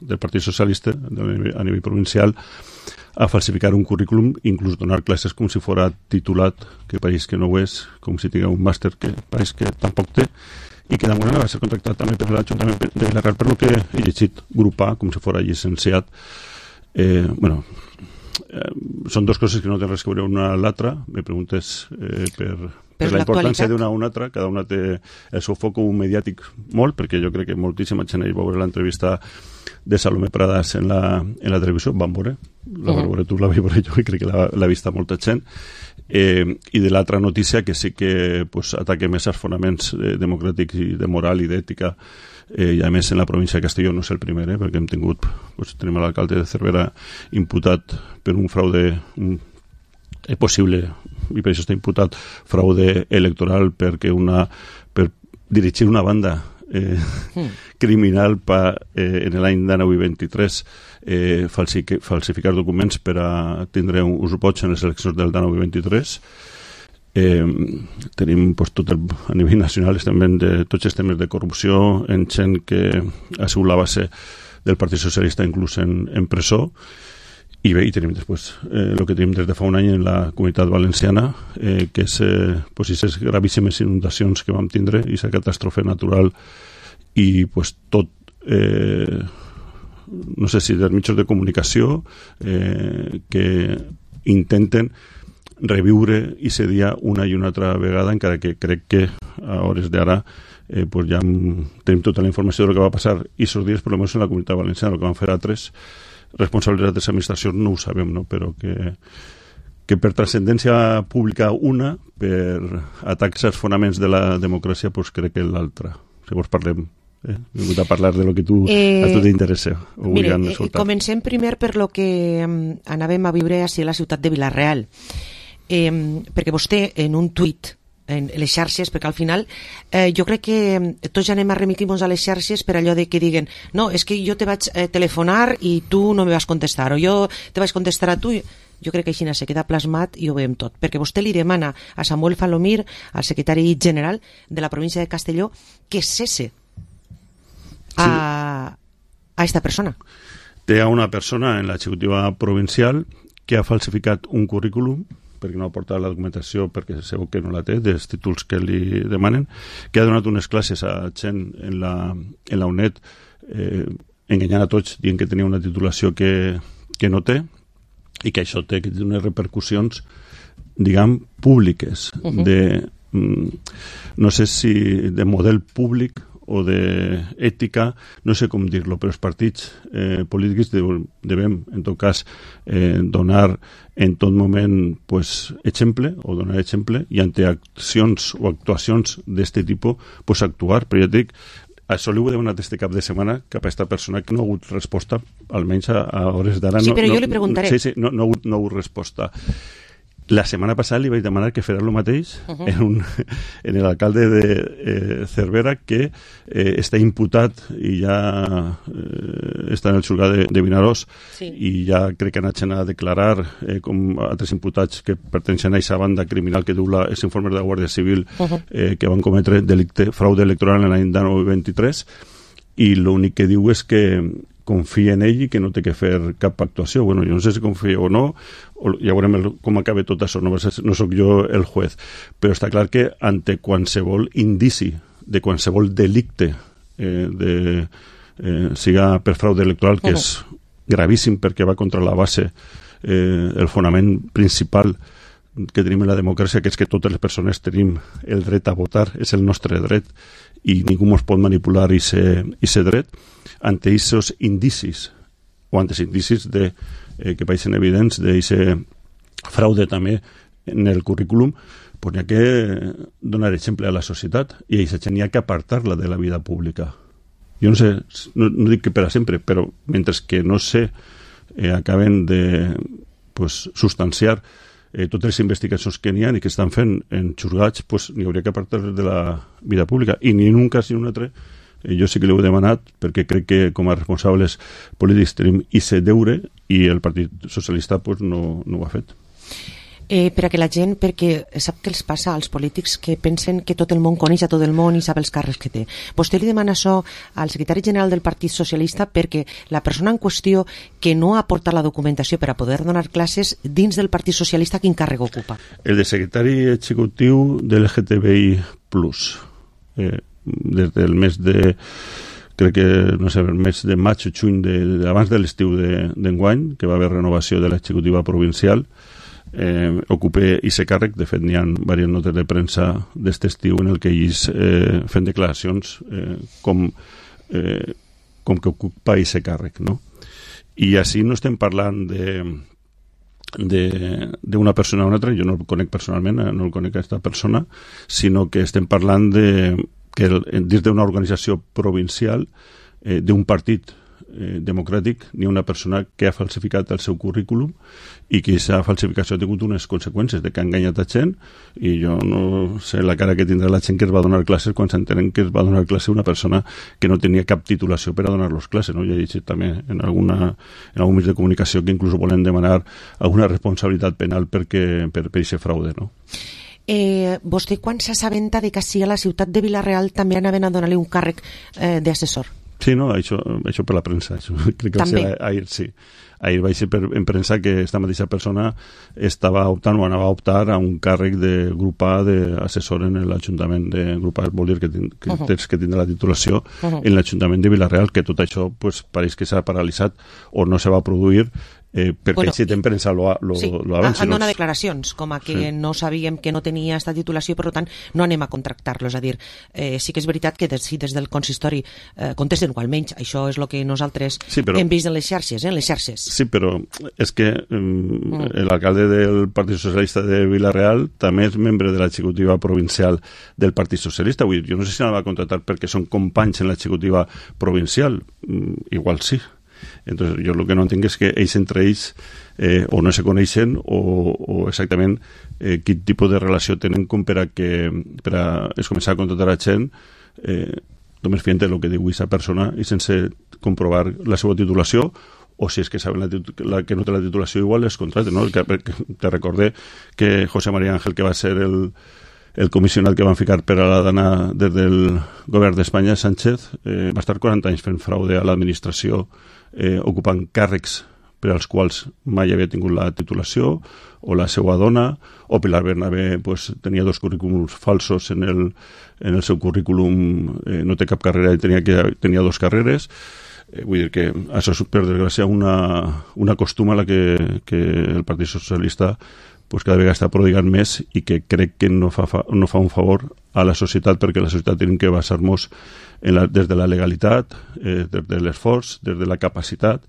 del Partit Socialista de, a nivell provincial a falsificar un currículum, inclús donar classes com si fora titulat, que pareix que no ho és, com si tingués un màster que pareix que tampoc té, i que d'alguna manera va ser contractat també per l'Ajuntament de Vilareal, per lo que he llegit, grupar com si fora llicenciat. Eh, bueno, eh, són dues coses que no tenen res que veure una a l'altra. Me preguntes eh, per, per la importància d'una a una altra. Cada una té el seu foc mediàtic molt, perquè jo crec que moltíssima gent va veure l'entrevista de Salomé Pradas en la, en la televisió, van veure, la van veure tu, la vaig veure jo, i crec que l'ha vista molta gent. Eh, i de l'altra notícia que sí que pues, ataca més els fonaments eh, democràtics i de moral i d'ètica. Eh, i a més en la província de Castelló no és el primer, eh, perquè hem tingut, pues, tenim l'alcalde de Cervera imputat per un fraude un, eh, possible, i per això està imputat fraude electoral perquè una, per dirigir una banda eh, mm. criminal pa, eh, en l'any dinou vint-i-tres eh, falsific, falsificar documents per a tindre un ús vots en les eleccions del dinou vint-i-tres. Eh, tenim pues, tot el, a nivell nacional també de tots els temes de corrupció en gent que ha sigut la base del Partit Socialista inclús en, en presó, i bé, i tenim després eh, el que tenim des de fa un any en la Comunitat Valenciana, eh, que és eh, pues, aquestes gravíssimes inundacions que vam tindre, i aquesta catàstrofe natural, i pues, tot eh, no sé si dels mitjans de comunicació eh, que intenten reviure i ser dia una i una altra vegada, encara que crec que a hores d'ara eh, pues ja tenim tota la informació del que va passar i aquests dies, per almenys en la Comunitat Valenciana, el que van fer altres responsables d'altres administracions no ho sabem, no? Però que, que per transcendència pública una, per atacs als fonaments de la democràcia, pues crec que l'altra. Llavors parlem Eh, he vingut a parlar de lo que tu, eh, a tu t'interessa. Mire, eh, comencem primer per lo que um, anàvem a viure així a la ciutat de Vila-real, eh, perquè vostè en un tuit en les xarxes, perquè al final eh, jo crec que tots ja anem a remitir-nos a les xarxes per allò de que diguen no, és que jo te vaig eh, telefonar i tu no me vas contestar, o jo te vaig contestar a tu. Jo crec que així se queda plasmat i ho veiem tot, perquè vostè li demana a Samuel Falomir, al secretari general de la província de Castelló, que cesse a, a esta persona. Té a una persona en l'executiva provincial que ha falsificat un currículum perquè no ha portat la documentació, perquè segur que no la té, dels títols que li demanen, que ha donat unes classes a gent en la, en la UNED eh, enganyant a tots, dient que tenia una titulació que, que no té, i que això té, que té unes repercussions, diguem, públiques, uh-huh. de, mm, no sé si de model públic o d'ètica, no sé com dir-lo, però els partits eh, polítics devem, en tot cas, eh, donar en tot moment pues, exemple, o donar exemple, i ante accions o actuacions d'aquest tipus, pues, actuar. Però ja dic, això li ho he demanat este cap de setmana cap a aquesta persona que no ha hagut resposta, almenys a, a hores d'ara. Sí, no, però no, jo li preguntaré. Sí, sí, no, no, ha hagut, no ha hagut resposta. La setmana passada li vaig demanar que farà el mateix uh -huh. en, un, en l'alcalde de eh, Cervera, que eh, està imputat i ja eh, està en el xulgat de, de Vinaròs, sí. I ja crec que han anat a declarar eh, com altres imputats que perteneixen a aquesta banda criminal que diu els informes de la Guàrdia Civil uh -huh. eh, que van cometre delicte, fraude electoral en l'any dinou vint-i-tres, i l'únic que diu és que confia en ell i que no té que fer cap actuació. Bueno, jo no sé si confia o no, o ja veurem el, com acaba tot això, no, no sóc jo el juez, però està clar que ante qualsevol indici de qualsevol delicte eh, de, eh, siga per fraude electoral, que uh -huh. és gravíssim perquè va contra la base, eh, el fonament principal que tenim en la democràcia, que és que totes les persones tenim el dret a votar, és el nostre dret, i ningú ens pot manipular i ser, i ser dret. Ante aquests indicis, o ante els indicis de, eh, que pareixen evidents d'aquest fraude també en el currículum, pues n'hi ha que donar exemple a la societat, i aquesta gent n'hi ha que apartar-la de la vida pública. Jo no sé, no, no dic que per a sempre, però mentre que no sé, eh, acaben de pues, substanciar eh, totes les investigacions que n'hi ha i que estan fent en xurgats, pues, n'hi hauria que apartar de la vida pública, i ni en un cas ni en un altre. Jo sí que l'he demanat perquè crec que com a responsables polítics tenim aquest deure, i el Partit Socialista pues, no, no ho ha fet. Eh, per a que la gent, perquè sap què els passa als polítics, que pensen que tot el món coneix a tot el món i sap els càrrecs que té. Vostè li demana això al secretari general del Partit Socialista perquè la persona en qüestió que no aporta la documentació per a poder donar classes dins del Partit Socialista, quin càrrec ocupa? El de secretari executiu de L G T B I plus. Eh, des del mes de crec que, no sé, el mes de maig o juny de, de, abans de l'estiu d'enguany, de, que va haver renovació de l'executiva provincial, eh, ocupé aquest càrrec. De fet, n'hi ha diverses notes de premsa d'este estiu en el que ells eh, fent declaracions eh, com, eh, com que ocupa aquest càrrec, no? I així no estem parlant de d'una persona a una altra, jo no el conec personalment, no el conec a aquesta persona, sinó que estem parlant de que el, dins d'una organització provincial eh, d'un partit eh, democràtic n'hi ha una persona que ha falsificat el seu currículum i que aquesta falsificació ha tingut unes conseqüències de que ha enganyat a gent, i jo no sé la cara que tindrà la gent que es va donar classes quan s'entenen que es va donar classe una persona que no tenia cap titulació per a donar-los classes, no? Jo he llegit també en, alguna, en algun mitjà de comunicació que inclús volen demanar alguna responsabilitat penal perquè, per per aquest fraude, no? Eh, vostè quan s'assabenta de que sigui a la ciutat de Vila-real també anaven a donar-li un càrrec eh, d'assessor? Sí, no, això, això per la premsa, això, crec que també. Va ser ahir, sí. Ahir vaig ser per, en premsa que aquesta mateixa persona estava optant o anava a optar a un càrrec de grup A d'assessor en l'Ajuntament de grup A, vol dir que, ten, que, uh -huh. tens que tindre la titulació uh -huh. en l'Ajuntament de Vila-real, que tot això pues, pareix que s'ha paralitzat o no se va produir eh, perquè bueno, si en premsa lo, lo, sí, lo avanci. Han donat declaracions com a que sí. no sabíem que no tenia esta titulació, per tant no anem a contractar-lo. És a dir, eh, sí que és veritat que des, si des del consistori eh, contesten, o almenys això és el que nosaltres sí, però, hem vist en les xarxes, eh, en les xarxes. Sí, però és que um, mm. l'alcalde del Partit Socialista de Vila-real també és membre de l'executiva provincial del Partit Socialista. Vull dir, jo no sé si la va contractar perquè són companys en l'executiva provincial. Mm, igual sí. Entonces, jo el que no entenc és que ells entre ells eh, o no se coneixen o, o exactament eh, quin tipus de relació tenen com per a que per a es començar a contractar a gent eh, només fent el que diu aquesta persona i sense comprovar la seva titulació, o si és que saben la, la que no té la titulació igual es contracten, no? Que, te recordé que José María Ángel, que va ser el el comissionat que van ficar per a la dana des del govern d'Espanya, Sánchez, eh, va estar quaranta anys fent fraude a l'administració, eh, ocupant càrrecs per als quals mai havia tingut la titulació, o la seva dona, o Pilar Bernabé pues, tenia dos currículums falsos en el, en el seu currículum, eh, no té cap carrera i tenia, que, tenia dos carreres. Eh, vull dir que això és, per desgràcia, una, una costuma a la que, que el Partit Socialista pues, cada vegada està prodigant més i que crec que no fa, fa, no fa un favor a la societat, perquè la societat tenim que basar-nos des de la legalitat, eh, des de l'esforç, des de la capacitat.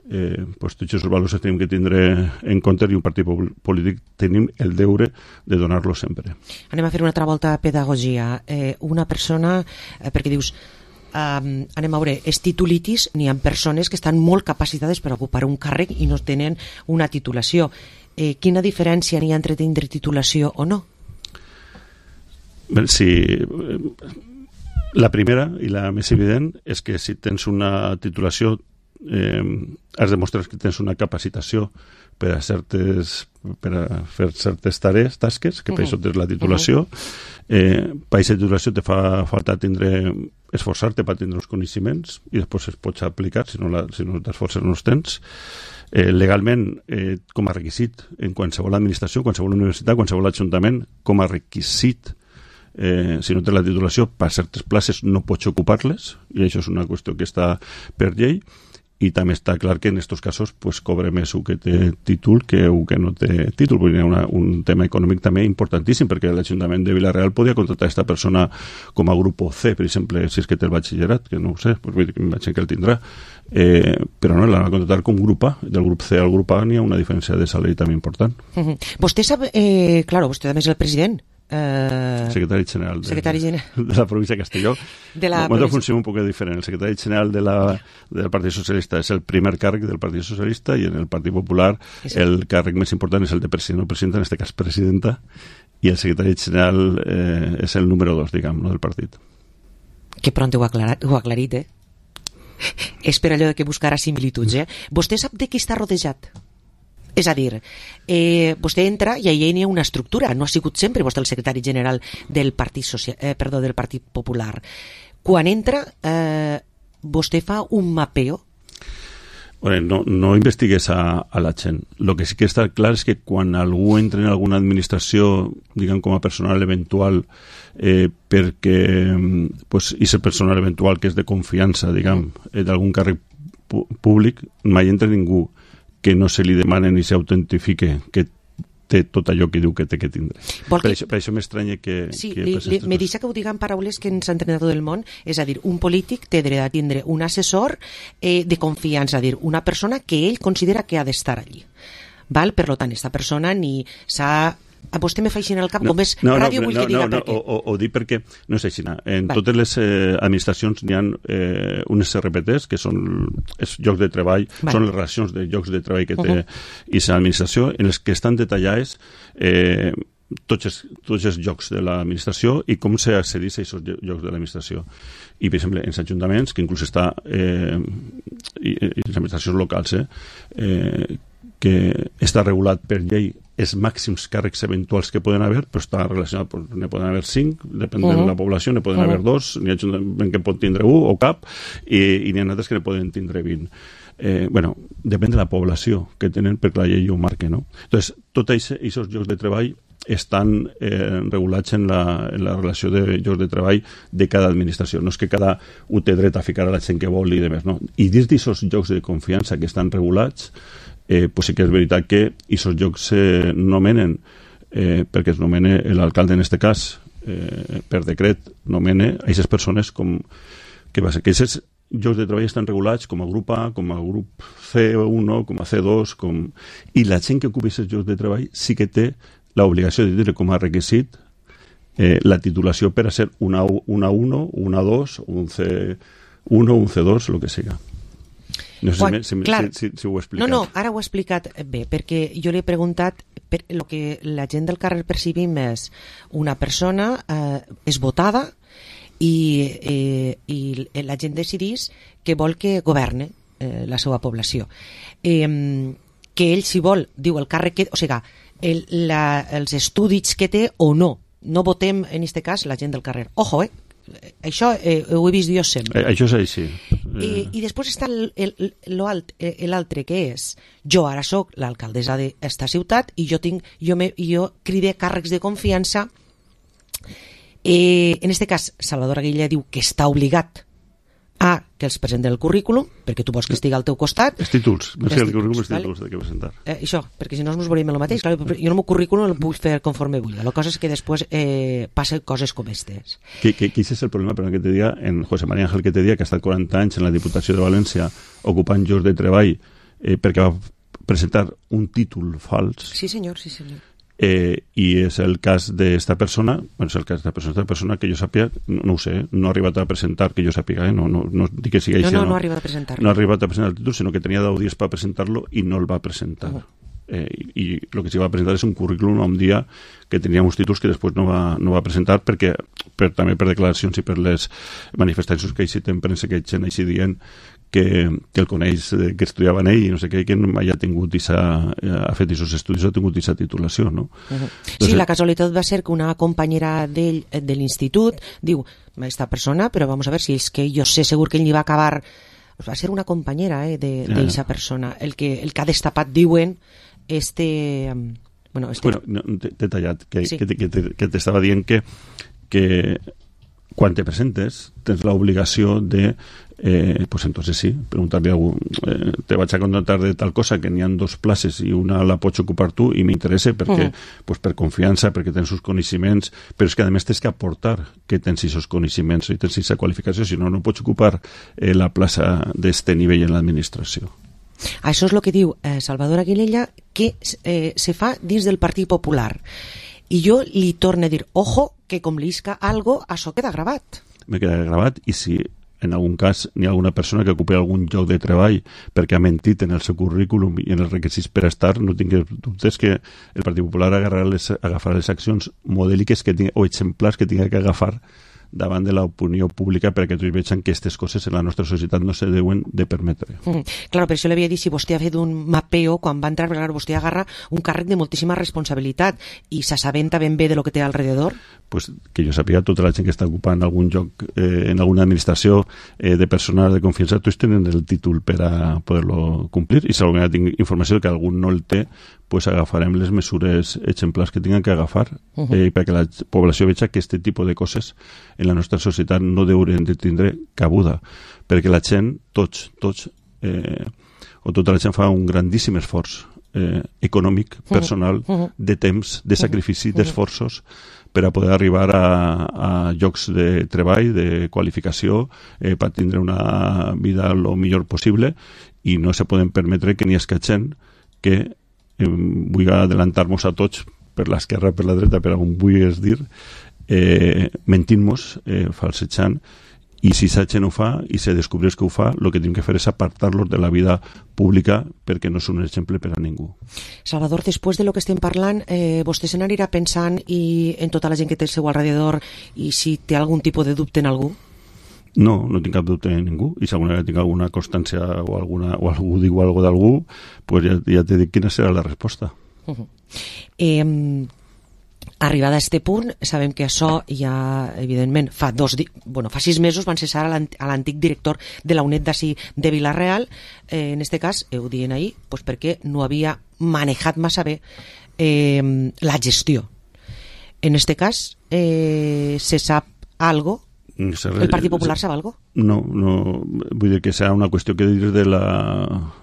Eh, pues, tots els valors que tenim que tindre en compte, i un partit polític tenim el deure de donar-los sempre. Anem a fer una altra volta a pedagogia. Eh, una persona, eh, perquè dius, Um, anem a veure, és titulitis, n'hi ha persones que estan molt capacitades per ocupar un càrrec i no tenen una titulació. Eh, quina diferència n'hi ha entre tindre titulació o no? Bé, sí, la primera i la més evident és que si tens una titulació eh, has demostrat que tens una capacitació per a, certes, per a fer certes tarees, tasques, que per això tens la titulació. Eh, per aquesta titulació te fa falta tindre, esforçar-te per tindre els coneixements i després es pots aplicar, si no, la, si no t'esforces no els tens. Eh, legalment, eh, com a requisit en qualsevol administració, qualsevol universitat, qualsevol ajuntament, com a requisit, eh, si no tens la titulació, per certes places no pots ocupar-les, i això és una qüestió que està per llei. I també està clar que en aquests casos pues, cobra més un que té títol que un que no té títol. Vull dir, una, un tema econòmic també importantíssim, perquè l'Ajuntament de Vila-real podia contractar aquesta persona com a grup C, per exemple, si és que té el batxillerat, que no ho sé, pues, vull dir, imagino que el tindrà, eh, però no, l'han de contractar com grup A. Del grup C al grup A n'hi ha una diferència de salari també important. Uh-huh. Vostè sap, eh, claro, vostè també és el president. Uh, secretari general de, secretari general de la província de Castelló. De la província... funciona un poc diferent. El secretari general de la, del Partit Socialista és el primer càrrec del Partit Socialista, i en el Partit Popular sí. el càrrec més important és el de president o presidenta, en aquest cas presidenta, i el secretari general eh, és el número dos, diguem, no, del partit. Que pront ho ha aclarit, ho ha aclarit eh? És per allò de que buscarà similituds, eh? Vostè sap de qui està rodejat? És a dir, eh, vostè entra i allà hi ha una estructura, no ha sigut sempre vostè el secretari general del Partit, Social, eh, perdó, del Partit Popular. Quan entra, eh, vostè fa un mapeo? Bueno, no, no investigues a, a la gent. El que sí que està clar és que quan algú entra en alguna administració, diguem com a personal eventual, eh, perquè pues, és el personal eventual que és de confiança, diguem, eh, d'algun càrrec públic, mai entra ningú que no se li demane ni s'autentifique que té tot allò que diu que té que tindre. Per, que... això, per això m'estranya que... Sí, que li, li, me deixa que ho diguen paraules que ens han entrenat tot el món, és a dir, un polític té dret a tindre un assessor eh, de confiança, a dir, una persona que ell considera que ha d'estar allí. Val? Per tant, aquesta persona ni s'ha... A vostè me fa així en el cap, no, com és no, ràdio, no, vull no, que diga no, per què. O, o, o dic perquè, no és així, en vale. Totes les eh, administracions n'hi ha eh, unes R P Ts, que són els llocs de treball, vale. Són les relacions de llocs de treball que té uh-huh. i l'administració, en les que estan detallades eh, tots, els, tots els llocs de l'administració i com s'accedeix a aquests llocs de l'administració. I, per exemple, en els ajuntaments, que inclús està eh, i, i les administracions locals, eh, eh, que està regulat per llei els màxims càrrecs eventuals que poden haver, però està relacionat, pues, ne poden haver cinc, depèn uh-huh. de la població, ne poden uh-huh. haver dos, n'hi ha ajuntament que pot tindre un o cap, i, i n'hi ha altres que ne poden tindre vint. Eh, bueno, depèn de la població que tenen, perquè la llei ho marca, no? Entonces, tots aquests llocs de treball estan eh, regulats en la, en la relació de llocs de treball de cada administració. No és que cada un té dret a ficar a la gent que vol i demés, no? I dins d'aquests llocs de confiança que estan regulats, eh, pues sí que és veritat que aquests llocs se nomenen, eh, perquè es nomena l'alcalde en aquest cas, eh, per decret, nomena a aquestes persones com que va ser que aquests llocs de treball estan regulats com a grup A, com a grup C u, com a C dos, com... i la gent que ocupa aquests llocs de treball sí que té l'obligació de tenir com a requisit eh, la titulació per a ser una, una uno, una dos, un C uno, un C dos, el que siga. No sé Quan, si, clar, si, si, si ho he explicat. No, no, ara ho he explicat bé, perquè jo li he preguntat per, el que la gent del carrer percibim és una persona eh, és votada i, eh, i la gent decidís que vol que governe eh, la seva població. Eh, que ell, si vol, diu el càrrec que... O sigui, el, la, els estudis que té o no. No votem, en aquest cas, la gent del carrer. Ojo, eh? Això eh, ho he vist jo sempre. Eh, això és així. Eh, I després està l'altre, que és jo ara sóc l'alcaldessa d'esta ciutat i jo tinc jo, me, jo cride càrrecs de confiança. Eh, en aquest cas, Salvador Aguilera diu que està obligat A, que els presenten el currículum, perquè tu vols que estigui al teu costat. Els títols, més que el currículum, els vale? títols de què presentar. Eh, això, perquè si no ens veuríem el mateix. Clar, jo el meu currículum el puc fer conforme vull. La cosa és que després eh, passen coses com aquestes. Que, que, que és el problema, però que te dia, en José María Ángel que te dia, que ha estat quaranta anys en la Diputació de València ocupant llocs de treball eh, perquè va presentar un títol fals. Sí, senyor, sí, senyor. Eh, y es el cas d'esta persona, bueno, és el cas d'esta persona, esta persona que jo sàpiga, no, no ho sé, no ha arribat a presentar, que jo sàpiga, eh? no, no, no dic que sigui no, així, no, no, no ha arribat a presentar. No ha arribat a presentar el títol, sinó que tenia deu dies per presentar-lo i no el va presentar. Uh -huh. eh, i el que s'hi va presentar és un currículum un dia que tenia uns títols que després no va, no va presentar perquè per, també per declaracions i per les manifestacions que hi en premsa que hi gent així dient que, que el coneix, que estudiava en ell i no sé què, que mai ha tingut isa, ha fet aquests estudis o ha tingut aquesta titulació, no? Uh-huh. Sí, la casualitat va ser que una companyera d'ell, de l'institut, diu, esta persona, però vamos a ver si és que jo sé segur que ell ni va acabar, va ser una companyera eh, d'aquesta yeah. persona, el que, el que ha destapat, diuen, este... Bueno, este... bueno no, t'he tallat, que, sí. que, que, que t'estava dient que, que quan te presentes tens l'obligació de Eh, pues entonces sí, preguntarle a algú eh, te vaig a contratar de tal cosa que n'hi ha dos places i una la pots ocupar tu i m'interessa perquè, uh-huh. pues per confiança, perquè tens uns coneixements, però és que a més tens que aportar que tens aquests coneixements i tens aquesta qualificació, si no, no pots ocupar eh, la plaça d'este nivell en l'administració. Això és el que diu eh, Salvador Aguilella, que eh, se fa dins del Partit Popular. I jo li torno a dir, ojo, que com li isca algo, això queda gravat. Me queda gravat, i si en algun cas n'hi ha alguna persona que ocupi algun lloc de treball perquè ha mentit en el seu currículum i en els requisits per estar, no tinguis dubtes que el Partit Popular agafarà les, agafarà les accions modèliques que tinga, o exemplars que tinga que agafar davant de l'opinió pública perquè tots vegin que aquestes coses en la nostra societat no se deuen de permetre. Mm, claro, per això l'havia dit, si vostè ha fet un mapeo quan va entrar, claro, vostè agarra un càrrec de moltíssima responsabilitat i s'assabenta ben bé de lo que té alrededor. Pues que jo sàpiga, tota la gent que està ocupant algun lloc eh, en alguna administració eh, de personal de confiança, tots tenen el títol per a poder-lo complir, i si alguna tinc informació que algun no el té, pues agafarem les mesures exemplars que tinguin que agafar uh-huh. eh, perquè la població veja que aquest tipus de coses en la nostra societat no deurien de tindre cabuda, perquè la gent, tots, tots, eh, o tota la gent fa un grandíssim esforç eh, econòmic, personal, uh-huh. de temps, de sacrifici, uh-huh. d'esforços, per a poder arribar a, a llocs de treball, de qualificació, eh, per tindre una vida el millor possible, i no se poden permetre que n'hi hagi gent que eh, vull adelantar-nos a tots per l'esquerra, per la dreta, per on vulguis dir, eh, mentint-nos, eh, falsejant, i si sa gent ho fa i se descobreix que ho fa, el que tenim que fer és apartar-los de la vida pública perquè no són un exemple per a ningú. Salvador, després de lo que estem parlant, eh, vostè se n'anirà pensant i en tota la gent que té al seu alrededor i si té algun tipus de dubte en algú? No, no tinc cap dubte en ningú, i si alguna vegada tinc alguna constància o, alguna, o algú diu alguna cosa d'algú, pues ja, ja te dic quina serà la resposta. Uh-huh. Eh, arribada a este punt, sabem que això ja, evidentment, fa dos di- bueno, fa sis mesos van cessar a l'ant- a l'antic director de la UNED d'ací de Vila-real, eh, en este cas, ho diuen ahir, pues perquè no havia manejat massa bé eh, la gestió. En este cas, eh, se sap algo? El Partit Popular sap algo? No, no, vull dir que serà una qüestió que dir de la,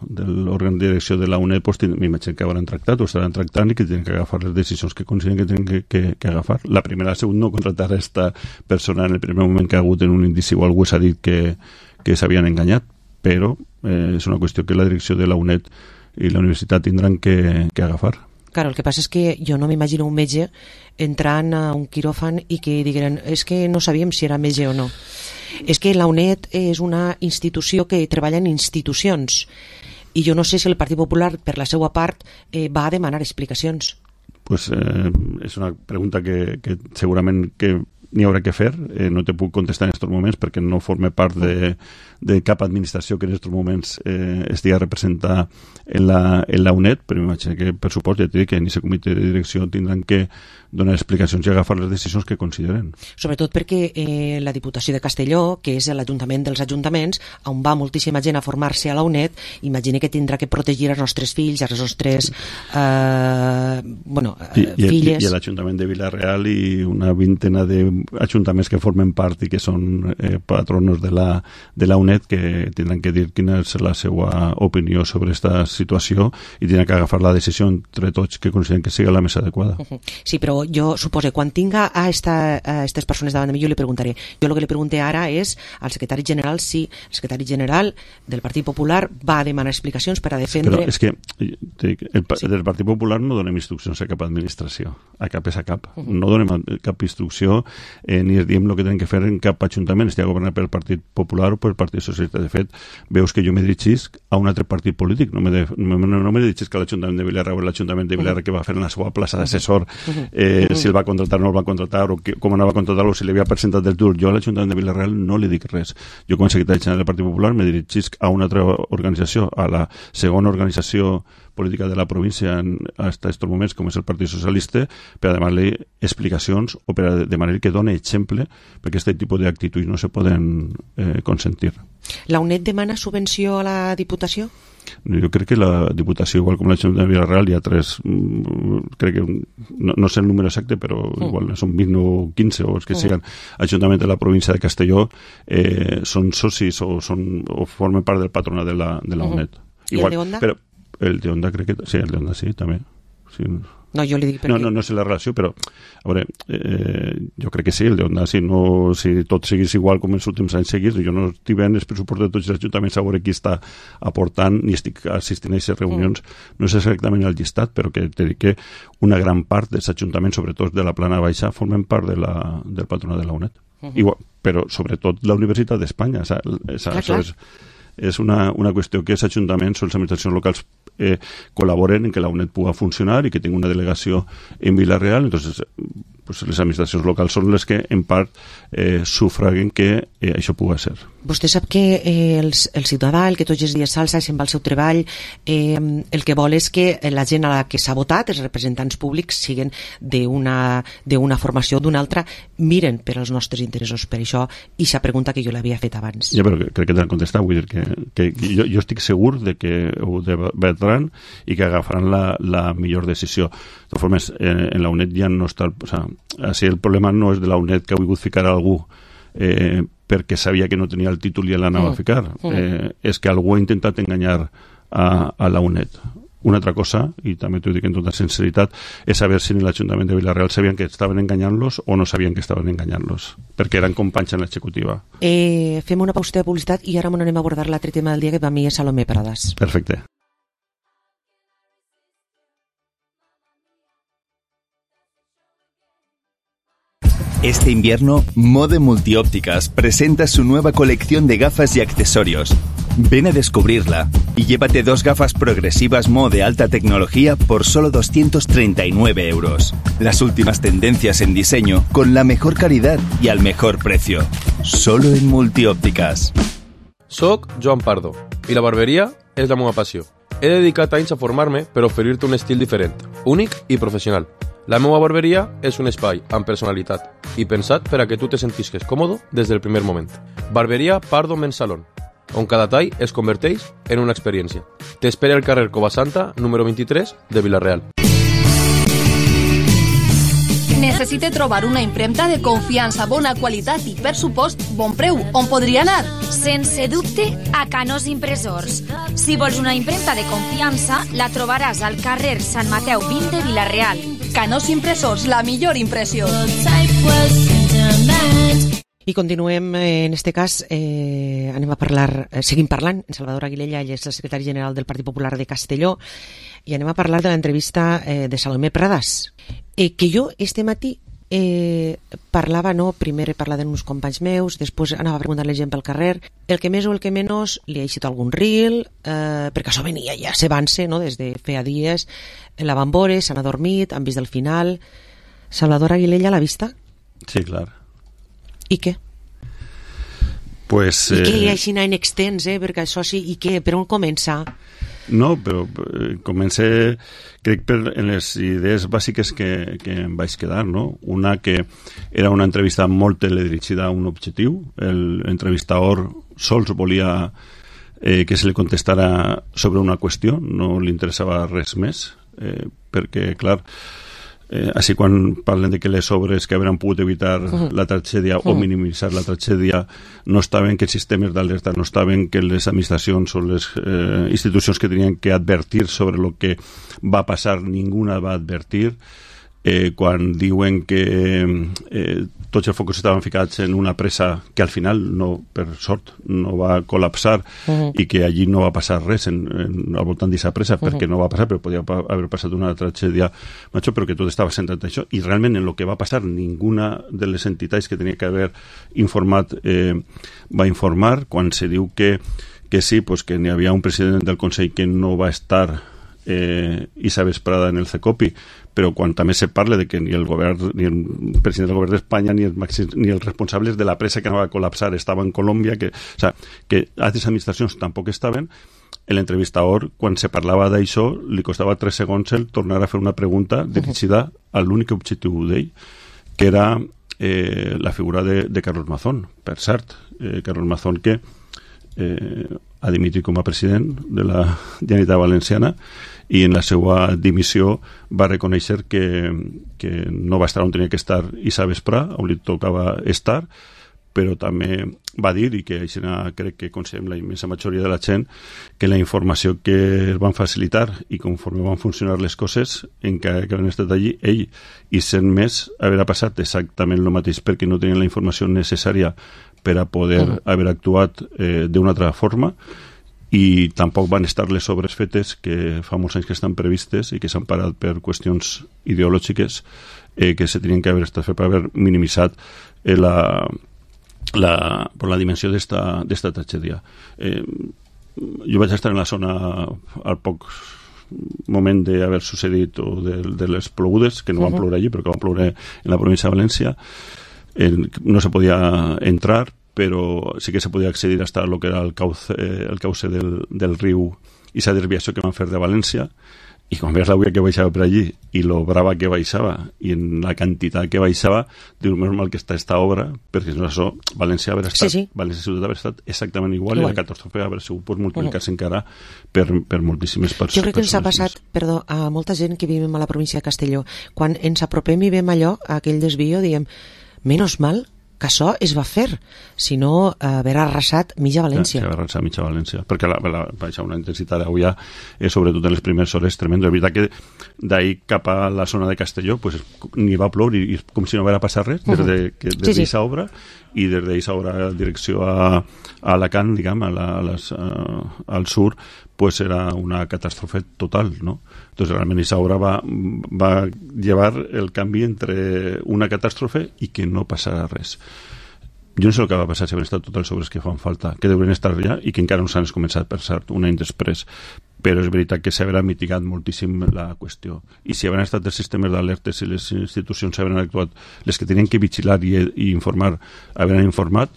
de l'òrgan de direcció de la UNED, pues, m'imagino que hauran tractat o estaran tractant i que tenen que agafar les decisions que consideren que tenen que, que, que agafar. La primera, la segunda, no contratar a esta persona en el primer moment que ha hagut en un indici o algú s'ha dit que, que s'havien enganyat, però eh, és una qüestió que la direcció de la UNED i la universitat tindran que, que agafar. Claro, el que passa és que jo no m'imagino un metge entrant a un quiròfan i que digueren, és que no sabíem si era metge o no. És que la UNED és una institució que treballa en institucions i jo no sé si el Partit Popular, per la seva part, eh, va a demanar explicacions. Pues eh, és una pregunta que, que segurament que n'hi haurà que fer, eh, no te puc contestar en aquests moments perquè no forme part de, de cap administració que en aquests moments eh, estigui representada en la, en la UNED, però m'imagino que per suport ja t'he dit que en aquest comitè de direcció tindran que donar explicacions i agafar les decisions que consideren. Sobretot perquè eh, la Diputació de Castelló, que és l'Ajuntament dels Ajuntaments, on va moltíssima gent a formar-se a la UNED, imagina que tindrà que protegir els nostres fills, els nostres eh, bueno, I, i, filles... I l'Ajuntament de Vila-real i una vintena d'ajuntaments que formen part i que són eh, patronos de la, de la U N E D que tindran que dir quina és la seva opinió sobre aquesta situació i tindran que agafar la decisió entre tots que consideren que sigui la més adequada. Sí, però jo suposo quan tinga a aquestes persones davant de mi jo li preguntaré. Jo el que li pregunté ara és al secretari general si el secretari general del Partit Popular va demanar explicacions per a defendre... Però és que el, sí. del Partit Popular no donem instruccions a cap administració, a cap és a cap. Uh -huh. No donem cap instrucció eh, ni diem el que tenen que fer en cap ajuntament, estigui governat pel Partit Popular o pel Partit Socialista. De fet, veus que jo me dirigisc a un altre partit polític, no me, de, no, no me dirigisc a l'Ajuntament de Vila-real o l'Ajuntament de Vila-real uh -huh. que va fer en la seva plaça d'assessor, eh, uh -huh. si el va contratar o no el va contratar, o que, com no va contratar o si li havia presentat del tur. Jo a l'Ajuntament de Vila-real no li dic res. Jo com a secretari general del Partit Popular me dirigisc a una altra organització, a la segona organització política de la província en, hasta estos moments, com és el Partit Socialista, per a demanar-li explicacions o per a demanar que doni exemple, perquè aquest tipus d'actituds no se poden eh, consentir. La U N E D demana subvenció a la Diputació? Jo crec que la Diputació, igual com l'Ajuntament de Vila-real, hi ha tres, crec que, no, no sé el número exacte, però mm. igual són vint o quinze, o els que mm. siguen Ajuntament de la província de Castelló, eh, són socis o, són, o formen part del patronat de la, de la U N E D. Mm. Igual, I el de Onda? Però, el de Onda crec que... Sí, el de Onda sí, també. Sí. No, jo li dic perquè... No, no, no sé la relació, però a veure, eh, jo crec que sí, el de Onda, si, no, si tot seguís igual com els últims anys seguits, jo no estic veient el pressupost de tots els ajuntaments a veure qui està aportant, ni estic assistint a aquestes reunions, mm. no sé exactament el llistat, però que te dic que una gran part dels ajuntaments, sobretot de la plana baixa, formen part de la, del patronat de la U N E D. Uh -huh. Igual, però sobretot la Universitat d'Espanya, o sea, esa, clar, clar. és... és una, una qüestió que els ajuntaments o les administracions locals eh, col·laboren en que la U N E D pugui funcionar i que tingui una delegació en Vila-real. Entonces, pues, les administracions locals són les que en part eh, sufraguen que eh, això pugui ser. Vostè sap que eh, el, el ciutadà, el que tots els dies s'alça i se'n va al seu treball, eh, el que vol és que la gent a la que s'ha votat, els representants públics, siguin d'una d'una formació o d'una altra, miren per als nostres interessos. Per això, i s'ha pregunta que jo l'havia fet abans. Ja, però crec que t'han contestat, vull dir que, que jo, jo estic segur de que ho debatran i que agafaran la, la millor decisió. De totes formes, eh, en la U N E D ja no està... O sea, així el problema no és de la U N E D que ha volgut ficar algú eh, perquè sabia que no tenia el títol i l'anava mm. a ficar. Eh, és que algú ha intentat enganyar a, a la U N E D. Una altra cosa, i també t'ho dic en tota sinceritat, és saber si en l'Ajuntament de Vila-real sabien que estaven enganyant-los o no sabien que estaven enganyant-los, perquè eren companys en l'executiva. Eh, fem una pausa de publicitat i ara m'anem a abordar l'altre tema del dia que per mi és Salomé Pradas. Perfecte. Este invierno, Mode Multiópticas presenta su nueva colección de gafas y accesorios. Ven a descubrirla y llévate dos gafas progresivas Mo de alta tecnología por solo doscientos treinta y nueve euros. Las últimas tendencias en diseño con la mejor calidad y al mejor precio. Solo en Multiópticas. Soc Joan Pardo i la barberia és la meva passió. He dedicat anys a formar-me per oferir-te un estil diferent, únic i professional. La meva barberia és un espai amb personalitat i pensat per a que tu te sentisques còmode des del primer moment. Barberia Pardo Men's Salon, on cada tall es converteix en una experiència. T'espera al carrer Covasanta, número vint-i-tres, de Vila-real. Necessite trobar una impremta de confiança, bona qualitat i, per supost, bon preu. On podria anar? Sense dubte, a Canós Impressors. Si vols una impremta de confiança, la trobaràs al carrer Sant Mateu vint de Vila-real. Canós Impressors, la millor impressió. I continuem, eh, en este cas, eh, anem a parlar, eh, seguim parlant, en Salvador Aguilella, ell és el secretari general del Partit Popular de Castelló, i anem a parlar de l'entrevista eh, de Salomé Pradas, eh, que jo este matí eh, parlava, no, primer he parlat amb uns companys meus, després anava a preguntar a la gent pel carrer, el que més o el que menys li ha eixit algun reel, eh, perquè això venia ja s'avance, no, des de feia dies, la van veure, s'han adormit, han vist el final. Salvador Aguilella l'ha vista? Sí, clar. I què? Pues, I eh... què així en extens, eh? Perquè això sí, i què? Per on comença? No, però eh, comencé, crec, per en les idees bàsiques que, que em vaig quedar, no? Una que era una entrevista molt teledirigida a un objectiu. L'entrevistador sols volia eh, que se li contestara sobre una qüestió, no li interessava res més. eh, perquè, clar, eh, així quan parlen de que les obres que hauran pogut evitar uh-huh. la tragèdia uh-huh. o minimitzar la tragèdia no estaven, que els sistemes d'alerta no estaven, que les administracions o les eh, institucions que tenien que advertir sobre el que va passar, ninguna va advertir. Eh, quan diuen que eh, tots els focus estaven ficats en una presa que al final, no, per sort, no va col·lapsar uh-huh. i que allí no va passar res en, en, al voltant d'aquesta presa, uh-huh. perquè no va passar, però podia haver passat una tragèdia major, però que tot estava centrat en això, i realment en el que va passar ninguna de les entitats que tenia que haver informat eh, va informar. Quan se diu que, que sí, pues que n'hi havia un president del Consell que no va estar eh, Isa vesprada en el CECOPI, però quan també se parla de que ni el govern, ni el president del govern d'Espanya, ni, ni els responsables de la presa que no va col·lapsar estaven en Colòmbia, que, o sea, que altres administracions tampoc estaven, l'entrevistador, quan se parlava d'això, li costava tres segons el tornar a fer una pregunta dirigida a l'únic objectiu d'ell, que era eh, la figura de, de Carlos Mazón. Per cert, eh, Carlos Mazón, que eh, ha dimitit com a president de la Generalitat Valenciana, i en la seva dimissió va reconèixer que, que no va estar on tenia que estar Isa Vesprà, on li tocava estar, però també va dir, i que així crec que considerem la immensa majoria de la gent, que la informació que es van facilitar i conforme van funcionar les coses, encara que han estat allí, ell i cent més haver passat exactament el mateix, perquè no tenien la informació necessària per a poder uh-huh. haver actuat eh, d'una altra forma, i tampoc van estar les obres fetes que fa molts anys que estan previstes i que s'han parat per qüestions ideològiques eh, que se tenien que haver estat fet per haver minimitzat eh, la, la, per la dimensió d'esta tragèdia. Eh, jo vaig estar en la zona al poc moment d'haver sucedit o de, de les plogudes, que no van ploure allí, però que van ploure en la província de València. Eh, no se podia entrar, però sí que se podia accedir hasta lo que era el cauce, eh, el cauce del, del riu i esa desviació que van fer de València, i quan veus l'aigua que baixava per allí i lo brava que baixava i en la quantitat que baixava, dius, més mal que està esta obra, perquè si no això, València haver estat, sí, sí. València ciutat haver estat exactament igual, igual. I la catàstrofe haver sigut pues, multiplicar-se uh-huh. encara per, per moltíssimes persones. Jo crec que ens ha passat, perdó, a molta gent que vivim a la província de Castelló, quan ens apropem i veiem allò, aquell desvio, diem, menos mal que això es va fer, si no haver arrasat mitja València. Sí, haver arrasat mitja València, perquè la, la, baixa una intensitat d'avui eh, sobretot en les primeres hores tremendo. És veritat que d'ahir cap a la zona de Castelló pues, ni va ploure i, i com si no haguera passat res des de, que, des sí, sí. obra, i des d'aquesta obra en direcció a, a Alacant, diguem, a la, a les, a, al sur, pues era una catàstrofe total, ¿no? Entonces realment esa obra va, va llevar el canvi entre una catàstrofe i que no passarà res. Jo no sé el que va passar si han estat totes les obres que fan falta, que deurien estar allà i que encara no s'han començat, per cert, un any després, però és veritat que s'haurà mitigat moltíssim la qüestió. I si haurien estat els sistemes d'alertes i les institucions haurien actuat, les que tenien que vigilar i, i informar, haurien informat,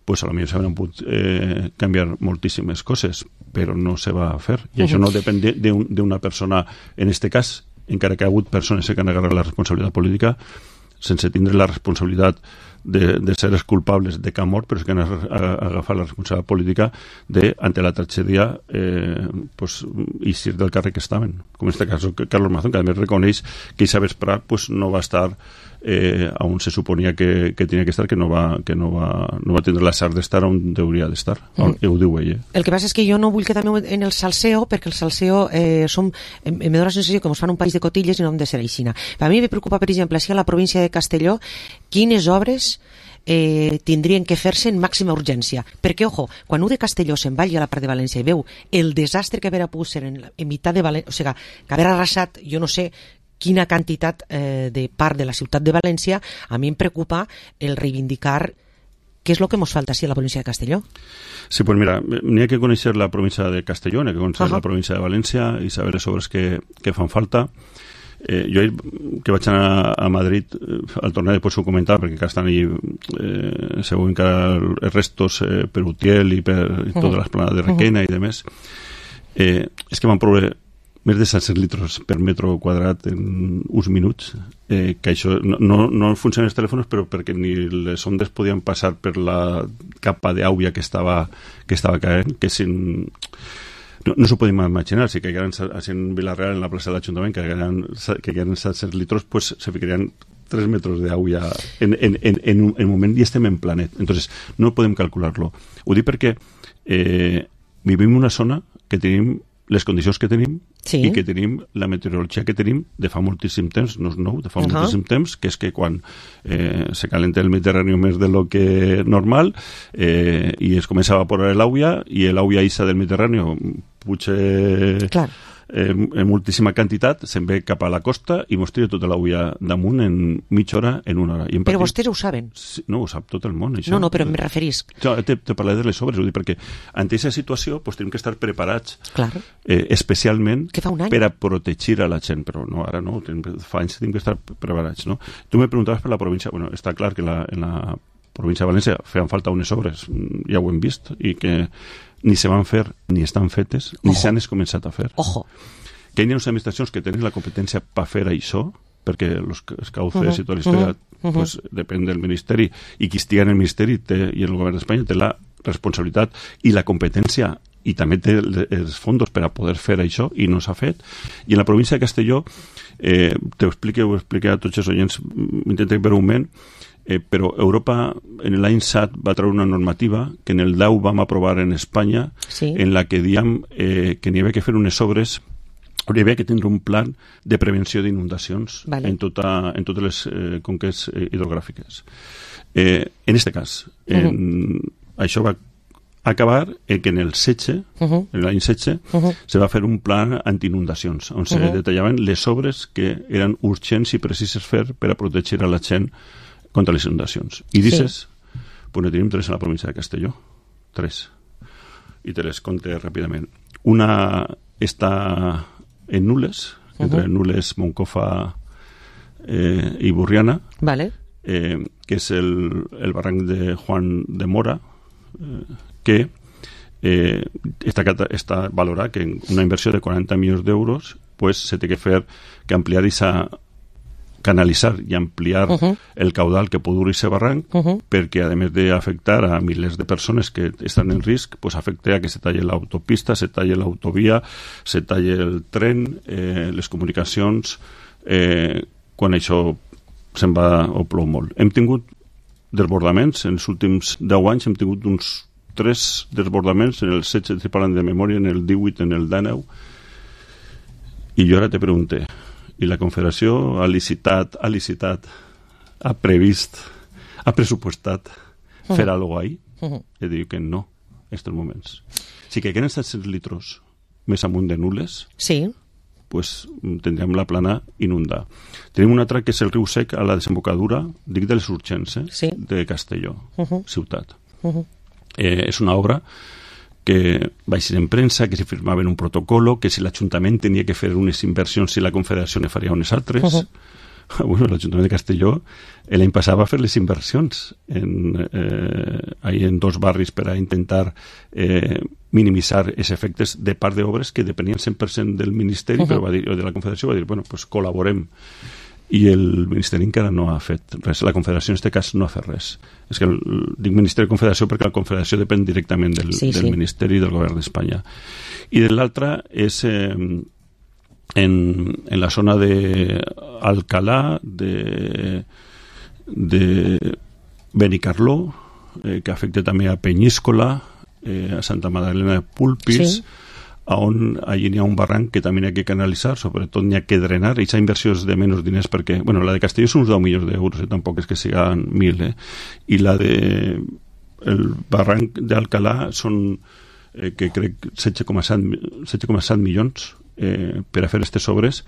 pues a lo millor s'haurien pogut eh, canviar moltíssimes coses, però no se va fer. I uh-huh. això no depèn d'una persona, en aquest cas, encara que ha hagut persones que han agarrat la responsabilitat política, sense tindre la responsabilitat de, de ser els culpables de cap mort, però que han agafat la responsabilitat política de, ante la tragèdia, eh, pues, eixir del càrrec que estaven. Com en aquest cas, Carlos Mazón, que a més reconeix que Isa Vesprà pues, no va estar eh, on se suponia que, que tenia que estar, que no va, que no va, no va tindre la sort d'estar on hauria d'estar. Mm. Ho diu ell. Eh? El que passa és que jo no vull quedar-me en el salseo, perquè el salseo eh, som, em, em dóna la sensació que ens fan un país de cotilles i no hem de ser aixina. A mi me preocupa, per exemple, si a la província de Castelló, quines obres eh, tindrien que fer-se en màxima urgència. Perquè, ojo, quan un de Castelló se'n va a la part de València i veu el desastre que haver pogut ser en, en meitat de València, o sigui, que haver arrasat, jo no sé quina quantitat eh, de part de la ciutat de València, a mi em preocupa el reivindicar què és el que ens falta sí, a la província de Castelló. Sí, pues mira, n'hi ha que conèixer la província de Castelló, n'hi ha que conèixer uh-huh. la província de València i saber les obres que, que fan falta. Eh, jo que vaig anar a Madrid eh, al tornar després ho comentava perquè que estan allí eh, segur encara els restos eh, per Utiel i per uh-huh. tota l'esplanada de Requena uh-huh. i demés eh, és que van provar més de set cents litres per metre quadrat en uns minuts eh, que això no, no, no funcionen els telèfons però perquè ni les ondes podien passar per la capa d'aigua que estava, que estava caent que sin no, no s'ho podem imaginar, si caigueren en Vilareal, en la plaça de l'Ajuntament, que caigueren set-cents litros, pues se ficarían tres metros de agua en, en, en, en, un, en un moment i estem en planet. Entonces, no podem calcular-lo. Ho dic perquè eh, vivim en una zona que tenim les condicions que tenim sí. i que tenim la meteorologia que tenim de fa moltíssim temps, no és nou, de fa uh -huh. moltíssim temps, que és que quan eh, se calenta el Mediterrani més de lo que normal eh, i es comença a evaporar l'aigua i l'aigua isa del Mediterrani puja eh, en moltíssima quantitat, se'n ve cap a la costa i mos tira tota l'aigua damunt en mitja hora, en una hora. I en però partit, vostès ho saben? Sí, no, ho sap tot el món, això. No, no, però em referís. Jo te, te parlaré de les sobres, ho dic perquè ante aquesta situació pues, tenim que estar preparats claro. eh, especialment un per a protegir a la gent, però no, ara no, tenim, fa anys tenim que estar preparats, no? Tu me preguntaves per la província, bueno, està clar que la, en la província de València feien falta unes obres, ja ho hem vist, i que ni se van fer, ni estan fetes, ni Ojo. s'han començat a fer. Ojo. Que hi ha unes administracions que tenen la competència per fer això, perquè els cauces uh -huh. i tota la història uh -huh. pues, depèn del Ministeri, i qui estigui en el Ministeri té, i el govern d'Espanya té la responsabilitat i la competència i també té els fons per a poder fer això, i no s'ha fet. I en la província de Castelló, eh, t'ho explique, ho explique a tots els oients, intentem breument, Eh, però Europa en l'any set va treure una normativa que en el deu vam aprovar en Espanya sí. en la que diem eh, que n'hi havia que fer unes obres, hi havia que tindre un plan de prevenció d'inundacions vale. en, tota, en totes les eh, conques eh, hidrogràfiques. Eh, en aquest cas, en, uh -huh. això va acabar en que en el setze, uh -huh. en l'any setze, uh -huh. se va fer un plan antiinundacions, on se uh -huh. detallaven les obres que eren urgents i precises fer per a protegir a la gent contra les inundacions. I dices, sí. pues ne tenim tres en la província de Castelló. Tres. I te les conté ràpidament. Una està en Nules, entre uh -huh. Nules, Moncofa eh, i Burriana, vale. eh, que és el, el barranc de Juan de Mora, eh, que eh, està, està valorat que en una inversió de quaranta milions d'euros pues, se té que fer, que ampliar esa canalitzar i ampliar uh -huh. el caudal que pot dur aquest barranc uh -huh. perquè, a més d'afectar a milers de persones que estan en risc, pues afecta a que se talle l'autopista, se talle l'autovia, se talle el tren, eh, les comunicacions, eh, quan això se'n va o plou molt. Hem tingut desbordaments, en els últims deu anys hem tingut uns tres desbordaments, en el setze, estic parlant de memòria, en el divuit, en el dinou, i jo ara te pregunté, i la Confederació ha licitat, ha licitat, ha previst, ha pressupostat uh-huh. fer alguna cosa ahí? Uh-huh. I diu que no, en aquests moments. Si que queden set-cents litros més amunt de Nules, sí. pues tindrem la plana inundada. Tenim un altre que és el riu Sec a la desembocadura, dic de les urgents, eh? sí. de Castelló, uh-huh. ciutat. Uh-huh. Eh, és una obra que va ser en premsa, que s'hi firmaven un protocolo, que si l'Ajuntament tenia que fer unes inversions, si la Confederació ne faria unes altres. Uh-huh. Bueno, l'Ajuntament de Castelló l'any passat va fer les inversions en, eh, ahí en dos barris per a intentar eh, minimitzar els efectes de part d'obres que depenien cent per cent del Ministeri, uh-huh. però va dir, de la Confederació va dir, bueno, pues col·laborem. I el Ministeri encara no ha fet res. La Confederació en aquest cas no ha fet res. És que el, dic Ministeri i Confederació perquè la Confederació depèn directament del, sí, del sí. Ministeri i del Govern d'Espanya. I de l'altra és eh, en, en la zona de Alcalá, de, de Benicarló, eh, que afecta també a Peñíscola, eh, a Santa Magdalena de Pulpis, sí. on allí n'hi ha un barranc que també n'hi ha que canalitzar, sobretot n'hi ha que drenar, i aquesta inversió és de menys diners perquè, bueno, la de Castelló són uns deu milions d'euros, eh? Tampoc és que siguin mil, eh? I la de el barranc d'Alcalà són eh, que crec setze coma set milions eh, per a fer aquestes obres,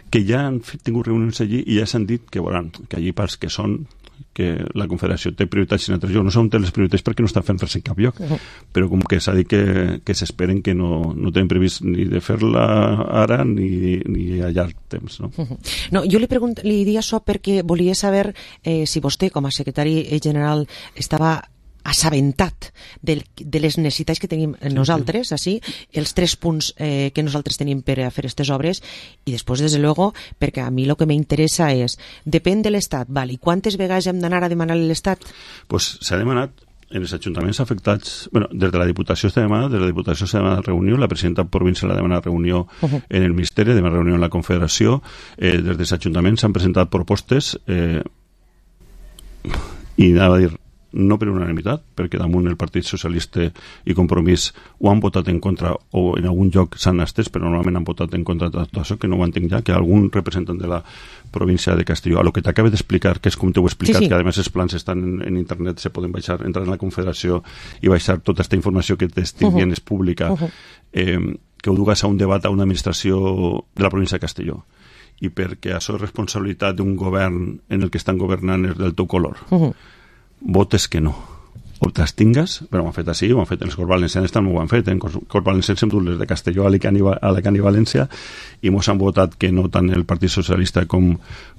que ja han fet, tingut reunions allí i ja s'han dit que, bueno, que allí parts que són que la Confederació té prioritats en altres llocs, no són les prioritats perquè no estan fent res en cap lloc, uh-huh. però com que s'ha dit que, que s'esperen que no, no tenen previst ni de fer-la ara ni, ni a llarg temps. No, uh-huh. no jo li, pregunt, li diria això perquè volia saber eh, si vostè com a secretari general estava assabentat de, de les necessitats que tenim nosaltres, sí, sí. Així, els tres punts eh, que nosaltres tenim per a fer aquestes obres, i després, des de luego, perquè a mi el que m'interessa és, depèn de l'Estat, val, i quantes vegades hem d'anar a demanar a l'Estat? Pues s'ha demanat en els ajuntaments afectats, bueno, des de la Diputació esta demana, des de la Diputació esta demana reunió, la presidenta provincial la demana reunió uh-huh. en el Ministeri, demana reunió en la Confederació, eh, des dels ajuntaments s'han presentat propostes eh, i anava a dir no per unanimitat, perquè damunt el Partit Socialista i Compromís ho han votat en contra o en algun lloc s'han estès, però normalment han votat en contra de tot això, que no ho entenc ja, que algun representant de la província de Castelló, a lo que t'acaba d'explicar, que és com t'ho he explicat, sí, sí. que a més els plans estan en, en internet, se poden baixar, entrar en la Confederació i baixar tota aquesta informació que t'estigui uh-huh. és pública, uh-huh. eh, que ho dugues a un debat a una administració de la província de Castelló, i perquè això és responsabilitat d'un govern en el que estan governant és del teu color. Uh-huh. Votes que no. O t'abstingues, però ho han fet així, ho han fet els Corts Valencians també ho han fet, en eh? Corts Valencians hem dut les de Castelló, Alicant i, Alicant i València, i mos han votat que no tant el Partit Socialista com,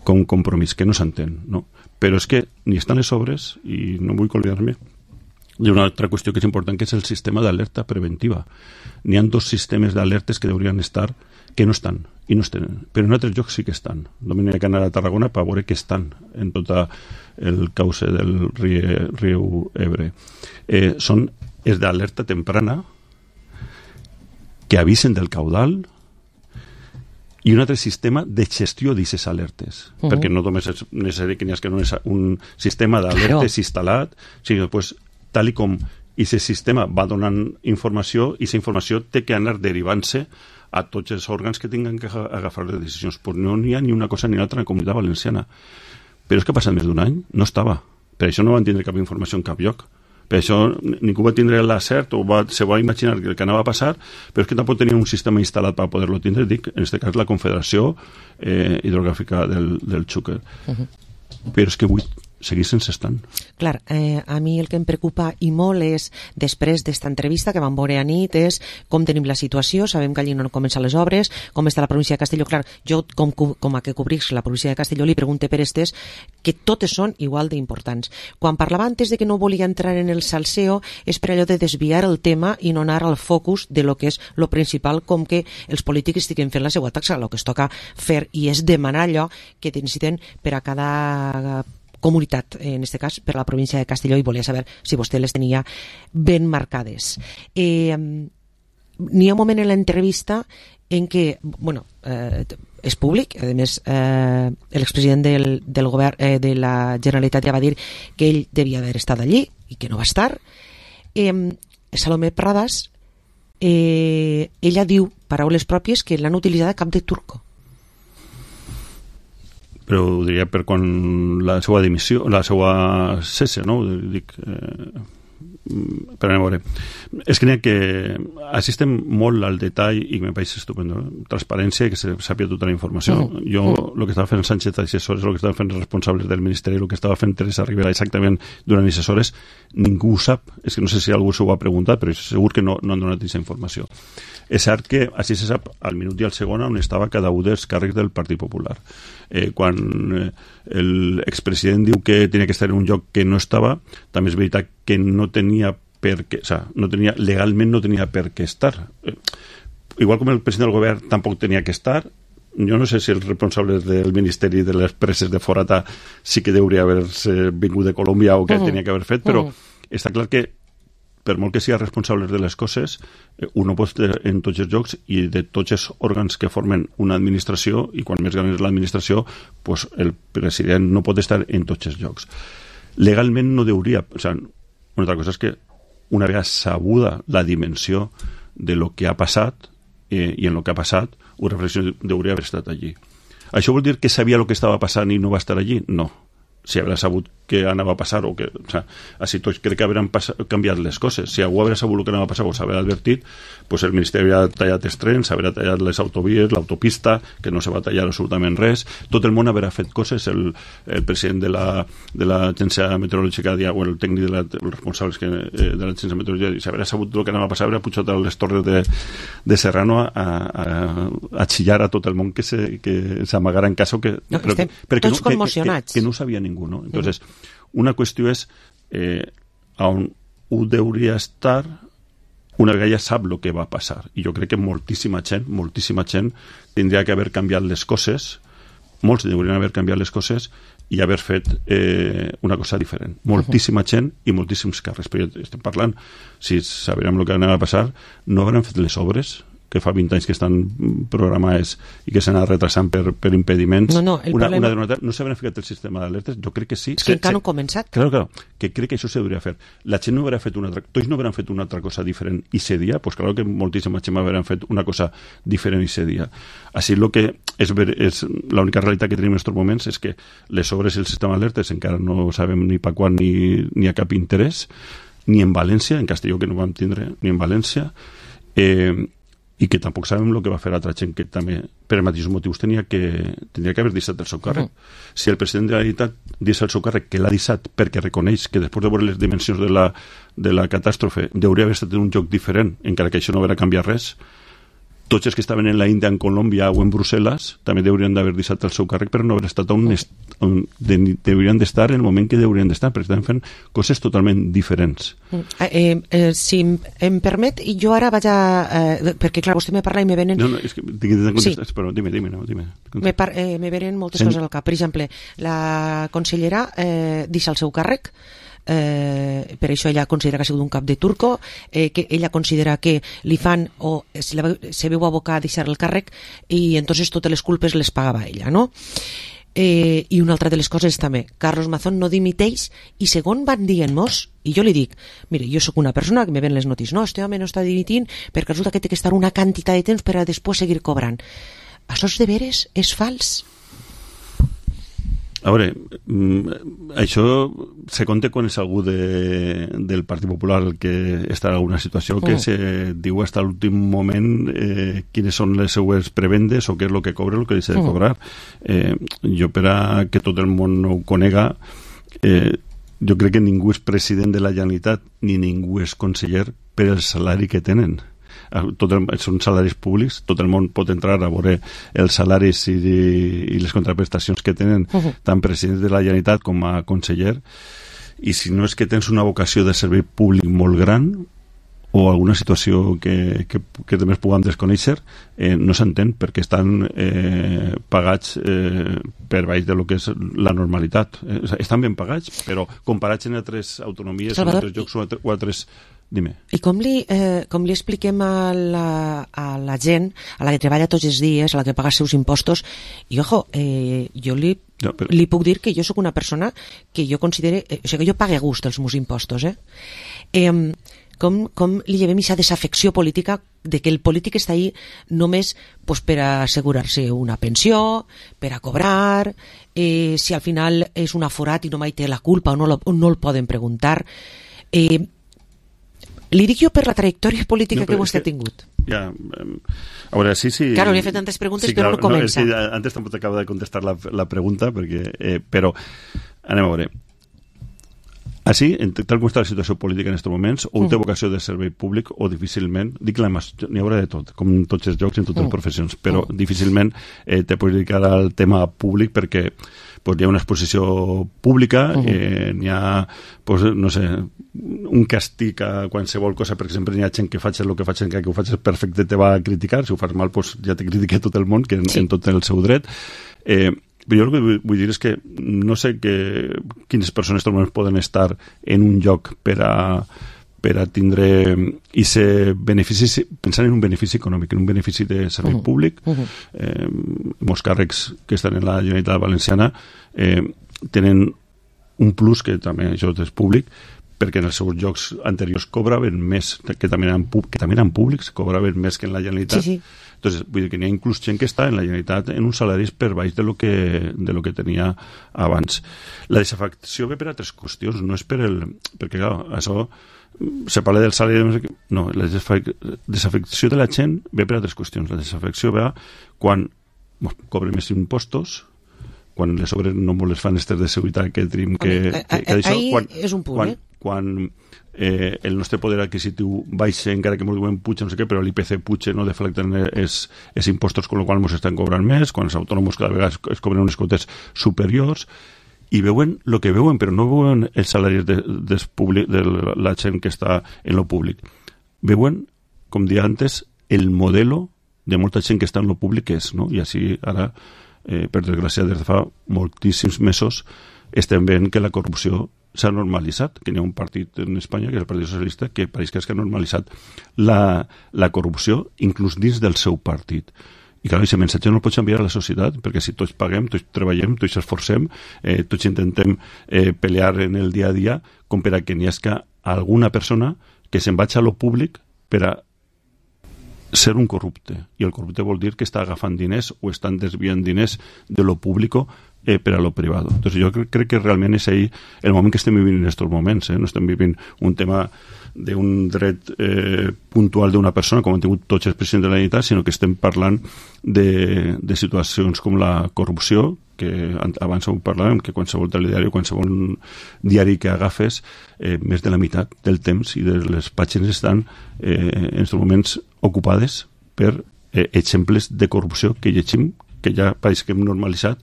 com Compromís, que no s'entén, no? Però és que ni estan les obres, i no vull oblidar-me d'una altra qüestió que és important, que és el sistema d'alerta preventiva. N'hi ha dos sistemes d'alertes que deurien estar, que no estan, i no es tenen, però en altres llocs sí que estan. Només hi ha que anar a Tarragona per veure que estan en tota el cauce del riu, riu Ebre. Eh, són els d'alerta temprana que avisen del caudal i un altre sistema de gestió d'aquestes alertes, uh-huh. perquè no només és necessari que n'hi hagi un sistema d'alertes claro. instal·lat, sinó després, tal i com aquest sistema va donant informació, i aquesta informació té que anar derivant-se a tots els òrgans que tinguin que agafar les decisions. Pues no n'hi ha ni una cosa ni l'altra en la Comunitat Valenciana. Però és que ha passat més d'un any, no estava. Per això no van tindre cap informació en cap lloc. Per això ningú va tindre l'acert o va, se va imaginar el que anava a passar, però és que tampoc tenia un sistema instal·lat per poder-lo tindre, dic, en aquest cas la Confederació eh, Hidrogràfica del, del Xúquer. Uh-huh. Però és que avui seguís sense estant. Clar, eh, a mi el que em preocupa i molt és, després d'esta entrevista que vam veure a nit, és com tenim la situació, sabem que allí no comencen les obres, com està la província de Castelló. Clar, jo, com, com a que cobrix la província de Castelló, li pregunte per estes, que totes són igual d'importants. Quan parlava antes de que no volia entrar en el salseo, és per allò de desviar el tema i no anar al focus de lo que és lo principal, com que els polítics estiguin fent la seva taxa. El que es toca fer i és demanar allò que necessiten per a cada comunitat, en aquest cas per a la província de Castelló, i volia saber si vostè les tenia ben marcades. Eh, n'hi ha un moment en l'entrevista en què, bueno, eh, és públic, a més eh, l'expresident del, del govern eh, de la Generalitat ja va dir que ell devia haver estat allí i que no va estar. eh, Salomé Pradas, eh, ella diu, paraules pròpies, que l'han utilitzat a cap de turco. Però ho diria per quan la seva dimissió, la seva cesse, no? Dic, eh, per anar a veure. És que n'hi ha que assistem molt al detall i que me pareix estupendo. Eh? Transparència i que se sàpia tota la informació. Uh-huh. Jo, el uh-huh. que estava fent Sánchez a aquestes hores, el que estava fent els responsables del Ministeri, el que estava fent Teresa Rivera exactament durant aquestes hores, ningú ho sap. És que no sé si algú s'ho ha preguntat, però segur que no, no han donat aquesta informació. És cert que així se sap al minut i al segon on estava cada un dels càrrecs del Partit Popular. Eh, quan eh, l'expresident diu que tenia que estar en un lloc que no estava, també és veritat que no tenia per què, o sea, no tenia, legalment no tenia per què estar. Eh, igual com el president del govern tampoc tenia que estar, jo no sé si els responsables del Ministeri de les Preses de Forata sí que hauria haver-se vingut de Colòmbia o que uh-huh. tenia que haver fet, però uh-huh. està clar que per molt que sigui responsable de les coses, un no pot estar en tots els llocs i de tots els òrgans que formen una administració, i quan més gran és l'administració, pues el president no pot estar en tots els llocs. Legalment no hauria... O sigui, una altra cosa és que una vegada sabuda la dimensió de lo que ha passat, eh, i en lo que ha passat, una reflexió hauria haver estat allí. Això vol dir que sabia el que estava passant i no va estar allí? No. Si haurà sabut que anava a passar o que, o sea, així tots crec que hauran canviat les coses. Si algú haurà sabut el que anava a passar o s'haurà advertit, pues el Ministeri haurà tallat els trens, haurà tallat les autovies, l'autopista, que no se va tallar absolutament res. Tot el món haurà fet coses. El, el president de la de l'agència meteorològica, o el tècnic de la, els responsables que, eh, de l'agència meteorològica, si haurà sabut el que anava a passar, haurà pujat a les torres de, de Serrano a, a, a xillar a tot el món que se, que s'amagara en cas que... No, però, estem però tots no, conmocionats. Que, que, que no ho sabia ningú, no? Entonces, mm. una qüestió és eh, on ho hauria estar una vegada ja sap el que va passar, i jo crec que moltíssima gent moltíssima gent tindria que haver canviat les coses, molts haurien haver canviat les coses i haver fet eh, una cosa diferent. Moltíssima gent i moltíssims càrrecs. Però estem parlant, si sabrem el que anava a passar, no hauran fet les obres que fa vint anys que estan programades i que s'han anat retrasant per, per impediments. No, no, el una, problema... una, no s'haurà ficat el sistema d'alertes? Jo crec que sí. És que encara no ha començat. Claro, claro, que crec que això s'hauria fer. La gent no haurà fet una altra... Tots no hauran fet una altra cosa diferent i ese dia, pues claro que moltíssima gent hauran fet una cosa diferent i ese dia. Així el que és, ver, és l'única realitat que tenim en aquests moments és que les obres i el sistema d'alertes encara no sabem ni per quan ni, ni a cap interès, ni en València, en Castelló que no vam tindre, ni en València, eh, i que tampoc sabem el que va fer altra gent que també, per els mateixos motius, tenia que, tenia que haver deixat el seu càrrec. Uh-huh. Si el president de la Generalitat deixa el seu càrrec, que l'ha deixat perquè reconeix que després de veure les dimensions de la, de la catàstrofe hauria d'haver estat en un lloc diferent, encara que això no haurà canviat res, tots els que estaven en la Índia, en Colòmbia o en Brussel·les també haurien d'haver deixat el seu càrrec però no haver estat on, est, on de, haurien d'estar en el moment que haurien d'estar, perquè estan fent coses totalment diferents. Eh, eh, si em permet, jo ara vaig a... Eh, perquè, clar, vostè me parla i me venen... No, no, és que tinc de contestar, sí. Però dime, dime, no, dime. Me, par, eh, me venen moltes coses al cap. Per exemple, la consellera eh, deixa el seu càrrec, Eh, per això ella considera que ha sigut un cap de turco, eh, que ella considera que li fan o se, la, se veu abocar a deixar el càrrec i entonces totes les culpes les pagava ella, no? Eh, i una altra de les coses també, Carlos Mazón no dimiteix i segon van dient-nos, i jo li dic, mire, jo sóc una persona que me ven les notícies, no, este home no està dimitint perquè resulta que té que estar una quantitat de temps per a després seguir cobrant. Això és de veres? És fals? A veure, això se conta quan és algú de, del Partit Popular el que està en alguna situació que mm. se diu fins a l'últim moment eh, quines són les seues prebendes o què és el que cobra o el que deixa de cobrar. Eh, jo, per a que tot el món no ho conega, eh, jo crec que ningú és president de la Generalitat ni ningú és conseller per el salari que tenen. Tot el, són salaris públics, tot el món pot entrar a veure els salaris i, i les contraprestacions que tenen uh-huh. tant presidents de la Generalitat com a conseller, i si no és que tens una vocació de servei públic molt gran o alguna situació que, que, que també es puguem desconèixer, eh, no s'entén perquè estan eh, pagats eh, per baix de lo que és la normalitat. Eh, estan ben pagats, però comparats en altres autonomies, Salvador, en altres llocs o, altres, o altres... Dime. I com li, eh, com li expliquem a la, a la gent, a la que treballa tots els dies, a la que paga els seus impostos, i ojo, eh, jo li, no, però... li puc dir que jo sóc una persona que jo considere, eh, o sigui, que jo pague a gust els meus impostos, eh? eh com, com li llevem aquesta desafecció política de que el polític està ahí només pues, per assegurar-se una pensió, per a cobrar, eh, si al final és un aforat i no mai té la culpa o no, lo, o no el poden preguntar. Eh, Li dic jo per la trajectòria política no, que vostè ha tingut. Ja, a veure, sí, sí... Claro, li he fet tantes preguntes, sí, però claro, no comença. No, sí, antes tampoc t'acabo de contestar la, la pregunta, perquè, eh, però anem a veure. Així, tal com està la situació política en aquests moments, o té vocació de servei públic o difícilment, dic la mas, n'hi haurà de tot, com en tots els llocs i en totes les professions, però difícilment eh, te pots dedicar al tema públic perquè pues, hi ha una exposició pública, eh, n'hi ha, pues, no sé, un castig a qualsevol cosa, per exemple, n'hi ha gent que faig el que faig, que ho faig perfecte te va a criticar, si ho fas mal pues, ja te critica tot el món, que en, sí. en tot el seu dret. Eh, però jo el que vull, vull dir és que no sé que, quines persones poden estar en un lloc per a, per a tindre i ser benefici, pensant en un benefici econòmic, en un benefici de servei uh-huh. públic. Uh-huh. Eh, molts càrrecs que estan en la Generalitat Valenciana eh, tenen un plus que també això és públic, perquè en els seus llocs anteriors cobraven més, que també eren, que també eren públics, cobraven més que en la Generalitat. Sí, sí. Entonces, vull dir que n'hi ha inclús gent que està en la Generalitat en uns salaris per baix de lo que, de lo que tenia abans. La desafecció ve per altres qüestions, no és per el... Perquè, clar, això... Se parla del salari... No, la desafecció de la gent ve per altres qüestions. La desafecció ve quan bueno, cobren més impostos, quan les obres no les fan estes de seguretat que tenim que... que, que, que això, quan, és un punt, quan, eh? Quan eh, el nostre poder adquisitiu baixa, encara que molt diuen puja, no sé què, però l'I P C puja, no deflecten els impostos, con lo qual ens estan cobrant més, quan els autònoms cada vegada es, es cobren unes quotes superiors, i veuen el que veuen, però no veuen els salaris de, de, de la gent que està en lo públic. Veuen, com dia antes, el modelo de molta gent que està en lo públic és, no? I així ara eh, per desgràcia, des de fa moltíssims mesos estem veient que la corrupció s'ha normalitzat, que hi ha un partit en Espanya, que és el Partit Socialista, que pareix que ha normalitzat la, la corrupció inclús dins del seu partit. I clar, aquest missatge no el pots enviar a la societat, perquè si tots paguem, tots treballem, tots esforcem, eh, tots intentem eh, pelear en el dia a dia, com per a que n'hi hagi alguna persona que se'n vagi a lo públic per a ser un corrupte. I el corrupte vol dir que està agafant diners o estan desviant diners de lo público eh, per a lo privado. Entonces, jo crec, crec que realment és ahí el moment que estem vivint en aquests moments. Eh? No estem vivint un tema d'un dret eh, puntual d'una persona, com han tingut tots els presidents de la Generalitat, sinó que estem parlant de, de situacions com la corrupció, que abans ho parlàvem, que qualsevol telediari o qualsevol diari que agafes, eh, més de la meitat del temps i de les pàgines estan eh, en aquests moments ocupades per eh, exemples de corrupció que llegim, que ja pareix que hem normalitzat,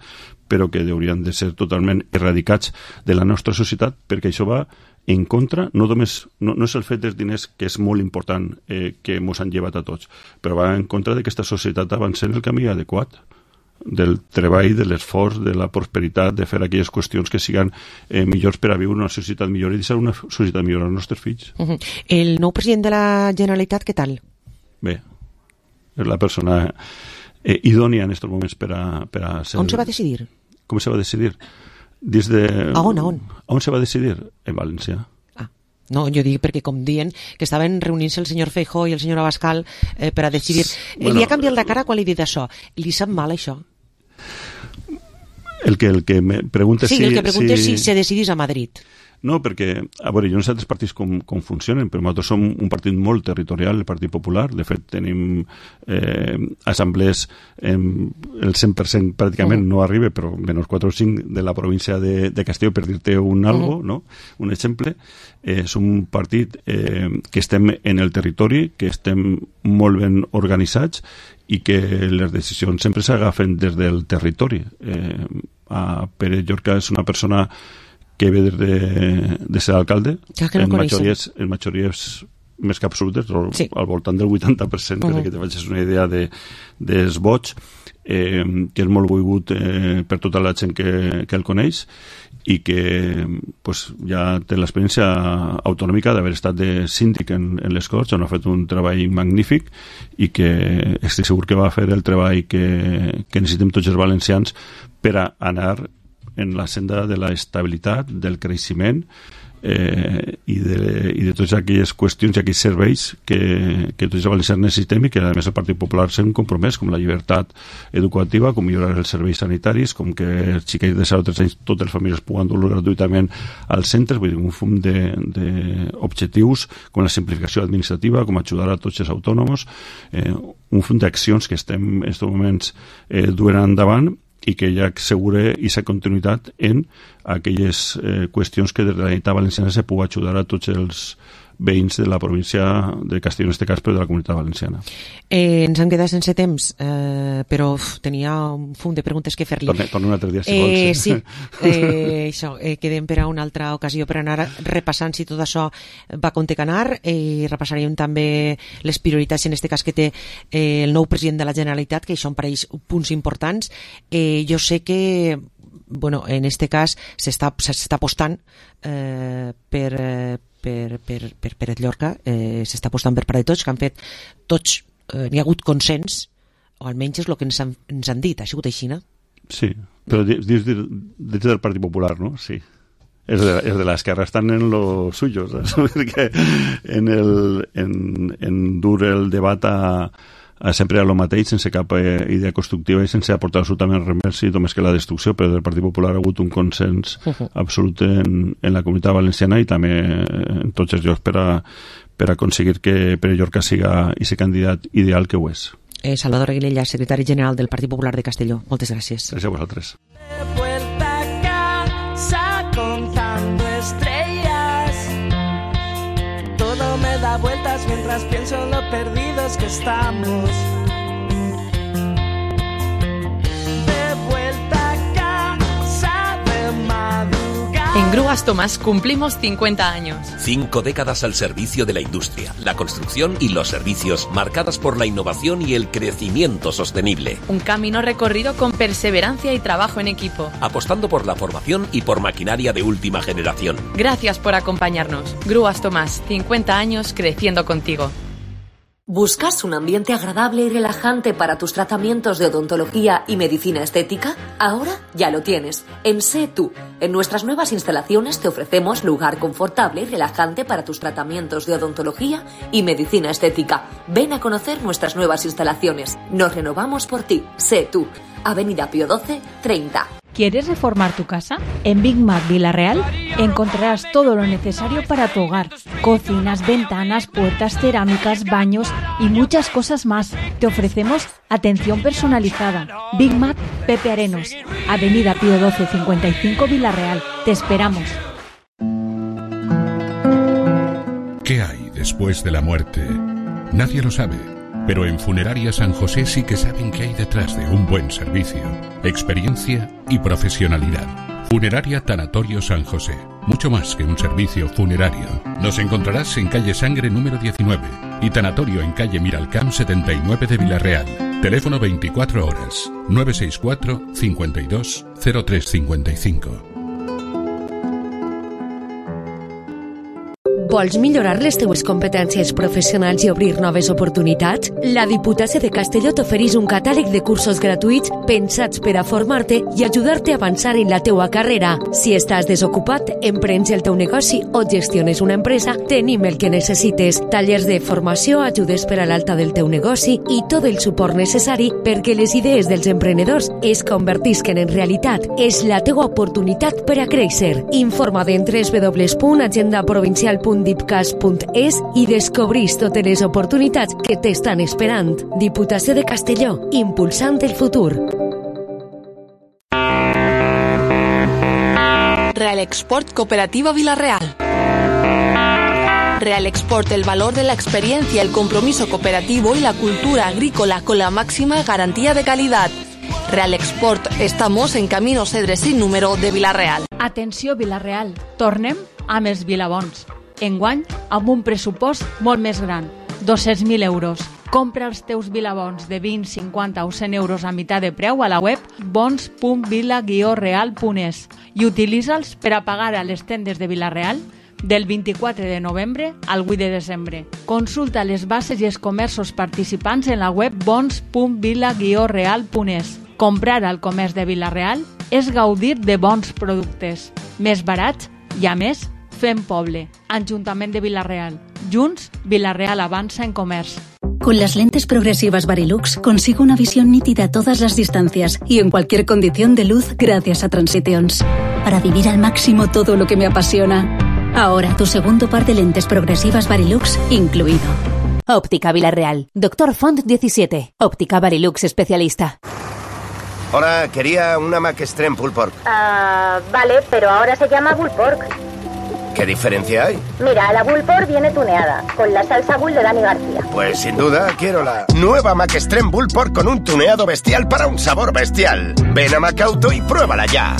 però que haurien de ser totalment erradicats de la nostra societat, perquè això va en contra, no només no, no és el fet dels diners, que és molt important eh, que ens han llevat a tots, però va en contra de que aquesta societat avancés en el camí adequat del treball, de l'esforç, de la prosperitat, de fer aquelles qüestions que siguin eh, millors per a viure una societat millor i deixar una societat millor als nostres fills. Uh -huh. El nou president de la Generalitat, què tal? Bé, és la persona eh, idònia en aquests moments per a, per a ser... On se va decidir? Com se va decidir? Des de... A on, a on? A on se va decidir? En València. Ah, no, jo dic perquè com diuen que estaven reunint-se el senyor Feijóo i el senyor Abascal eh, per a decidir... Bueno, li ha canviat la cara quan li he dit això. Li sap mal això? El que, el que me pregunta sí, si... el que pregunta si... si se decidís a Madrid. No, perquè, a veure, jo no sé altres partits com, com funcionen, però nosaltres som un partit molt territorial, el Partit Popular. De fet, tenim eh, assemblees, eh, el cent per cent pràcticament no arriba, però menys quatre o cinc de la província de, de Castelló, per dir-te un algo, uh -huh. no? Un exemple. Eh, som un partit eh, que estem en el territori, que estem molt ben organitzats i que les decisions sempre s'agafen des del territori. Eh, a Pere Llorca és una persona que ve de, de ser alcalde, ja que no en, majories, coneixen. en majories més que absolutes, sí. al voltant del vuitanta per cent, uh -huh. perquè te facis una idea de, dels vots, eh, que és molt volgut eh, per tota la gent que, que el coneix i que pues, ja té l'experiència autonòmica d'haver estat de síndic en, en les Corts, on ha fet un treball magnífic i que estic segur que va fer el treball que, que necessitem tots els valencians per a anar en la senda de la estabilitat, del creixement eh, i, de, i de totes aquelles qüestions i aquells serveis que, que tots els valencians necessitem i que a més el Partit Popular s'ha compromès, com la llibertat educativa, com millorar els serveis sanitaris, com que els xiquets de zero a tres anys totes les famílies puguen dur gratuïtament als centres, vull dir, un fum d'objectius com la simplificació administrativa, com ajudar a tots els autònoms, eh, un fum d'accions que estem en aquests moments eh, duent endavant i que ja assegure aquesta continuïtat en aquelles eh, qüestions que des de la Generalitat Valenciana se pugui ajudar a tots els veïns de la província de Castelló, en aquest cas, però de la Comunitat Valenciana. Eh, ens hem quedat sense temps, eh, però uf, tenia un fum de preguntes que fer-li. Tornem torne un altre dia, si eh, vols. Sí, eh, això, eh, quedem per a una altra ocasió per anar repassant si tot això va com té que anar, i eh, repassaríem també les prioritats, en aquest cas que té eh, el nou president de la Generalitat, que això em pareix punts importants. Eh, jo sé que bueno, en este cas s'està s'està apostant eh, per, eh, per, per, per, per el Llorca, eh, s'està apostant per part de tots, que han fet tots, eh, n'hi ha hagut consens, o almenys és el que ens han, ens han dit, ha sigut així, no? Sí, però dins de, del Partit Popular, no? Sí. És de, és de l'esquerra, estan en lo suyo, saps? Perquè en, el, en, en dur el debat a a sempre a lo mateix, sense cap eh, idea constructiva i sense aportar absolutament res més, i només que la destrucció, però del Partit Popular ha hagut un consens uh-huh. absolut en, en la Comunitat Valenciana i també en tots els llocs per a, per a aconseguir que Pere Llorca siga i ser candidat ideal que ho és. Eh, Salvador Aguilella, secretari general del Partit Popular de Castelló. Moltes gràcies. Gràcies a vosaltres. Me da vueltas mientras pienso en lo perdidos que estamos. De vuelta a casa de madrugada. En Grúas Tomás cumplimos cincuenta años. Cinco décadas al servicio de la industria, la construcción y los servicios, marcadas por la innovación y el crecimiento sostenible. Un camino recorrido con perseverancia y trabajo en equipo. Apostando por la formación y por maquinaria de última generación. Gracias por acompañarnos. Grúas Tomás, cincuenta años creciendo contigo. ¿Buscas un ambiente agradable y relajante para tus tratamientos de odontología y medicina estética? Ahora ya lo tienes. En Sé Tú. En nuestras nuevas instalaciones te ofrecemos lugar confortable y relajante para tus tratamientos de odontología y medicina estética. Ven a conocer nuestras nuevas instalaciones. Nos renovamos por ti. Sé Tú. Avenida Pío doce, treinta. ¿Quieres reformar tu casa? En Big Mac Villarreal encontrarás todo lo necesario para tu hogar. Cocinas, ventanas, puertas, cerámicas, baños y muchas cosas más. Te ofrecemos atención personalizada. Big Mac Pepe Arenos, Avenida Pío doce, cincuenta y cinco, Villarreal. Te esperamos. ¿Qué hay después de la muerte? Nadie lo sabe. Pero en Funeraria San José sí que saben qué hay detrás de un buen servicio, experiencia y profesionalidad. Funeraria Tanatorio San José. Mucho más que un servicio funerario. Nos encontrarás en calle Sangre número diecinueve y Tanatorio en calle Miralcamp setenta y nueve de Villarreal. Teléfono veinticuatro horas, nueve seis cuatro, cincuenta y dos, cero tres cincuenta y cinco. Vols millorar les teues competències professionals i obrir noves oportunitats? La Diputació de Castelló t'ofereix un catàleg de cursos gratuïts pensats per a formar-te i ajudar-te a avançar en la teua carrera. Si estàs desocupat, emprens el teu negoci o gestiones una empresa, tenim el que necessites. Tallers de formació, ajudes per a l'alta del teu negoci i tot el suport necessari perquè les idees dels emprenedors es convertisquen en realitat. És la teua oportunitat per a créixer. Informa't en w w w punt agenda provincial punt dipcas punt es i descobrís totes les oportunitats que t'estan esperant. Diputació de Castelló, impulsant el futur. Real Export Cooperativa Villarreal. Real Export, el valor de la experiencia, el compromiso cooperativo y la cultura agrícola con la máxima garantía de calidad. Real Export, estamos en Camino Cedre sin número de Villarreal. Atenció Villarreal, tornem amb els Vilabons. Enguany, amb un pressupost molt més gran, dos-cents mil euros. Compra els teus Vilabons de vint, cinquanta o cent euros a meitat de preu a la web bons punt vila guió real punt es i utilitza'ls per a pagar a les tendes de Villarreal del vint-i-quatre de novembre al vuit de desembre. Consulta les bases i els comerços participants en la web bons punt vila guió real punt es. Comprar al comerç de Villarreal és gaudir de bons productes, més barats i, a més, fem poble. Ajuntament de Villarreal. Junts, Villarreal avanza en comercio. Con las lentes progresivas Varilux consigo una visión nítida a todas las distancias y en cualquier condición de luz gracias a Transitions. Para vivir al máximo todo lo que me apasiona. Ahora tu segundo par de lentes progresivas Varilux incluido. Óptica Villarreal. Doctor Font diecisiete. Óptica Varilux especialista. Hola, quería una Mac Extreme Pulled Pork. Ah, vale, pero ahora se llama Bull Pork. ¿Qué diferencia hay? Mira, la Bull Pork viene tuneada, con la salsa Bull de Dani García. Pues sin duda quiero la nueva Mac Extreme Bull Pork con un tuneado bestial para un sabor bestial. Ven a Macauto y pruébala ya.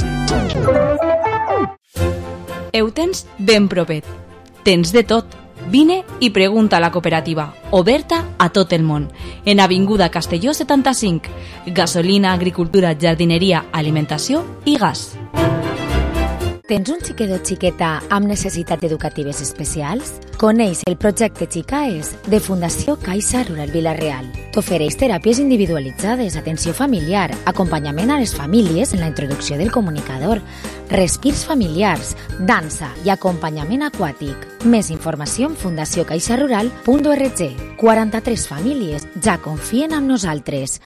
Eutens ben propet. Tens de tot. Vine i pregunta a la cooperativa, oberta a tot el món, en Avinguda Castelló setanta-cinc. Gasolina, agricultura, jardineria, alimentació i gas. Tens un xiquet o xiqueta amb necessitats educatives especials? Coneix el projecte Xicaes de Fundació Caixa Rural Villarreal. T'ofereix teràpies individualitzades, atenció familiar, acompanyament a les famílies en la introducció del comunicador, respirs familiars, dansa i acompanyament aquàtic. Més informació en fundació caixa rural punt org. quaranta-tres famílies ja confien en nosaltres.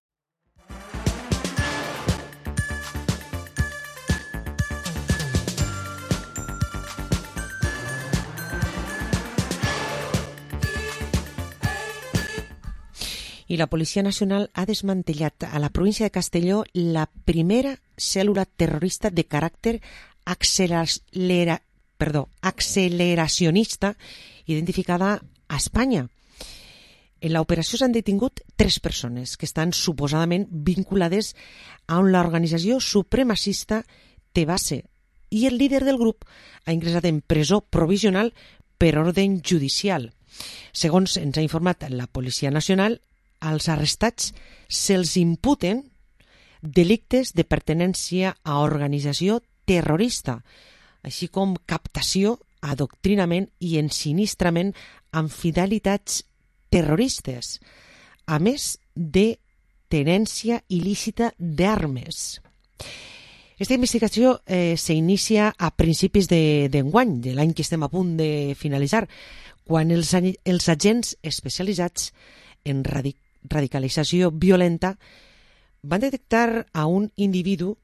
I la Policia Nacional ha desmantellat a la província de Castelló la primera cèl·lula terrorista de caràcter accelera, perdó, acceleracionista identificada a Espanya. En l'operació s'han detingut tres persones que estan suposadament vinculades a l'organització supremacista Tebase, i el líder del grup ha ingressat en presó provisional per ordre judicial. Segons ens ha informat la Policia Nacional, als arrestats se'ls imputen delictes de pertinència a organització terrorista, així com captació, adoctrinament i ensinistrament amb finalitats terroristes, a més de tenència il·lícita d'armes. Aquesta investigació eh, s'inicia a principis d'enguany, de, de l'any que estem a punt de finalitzar, quan els, els agents especialitzats en radic radicalització violenta van detectar a un individu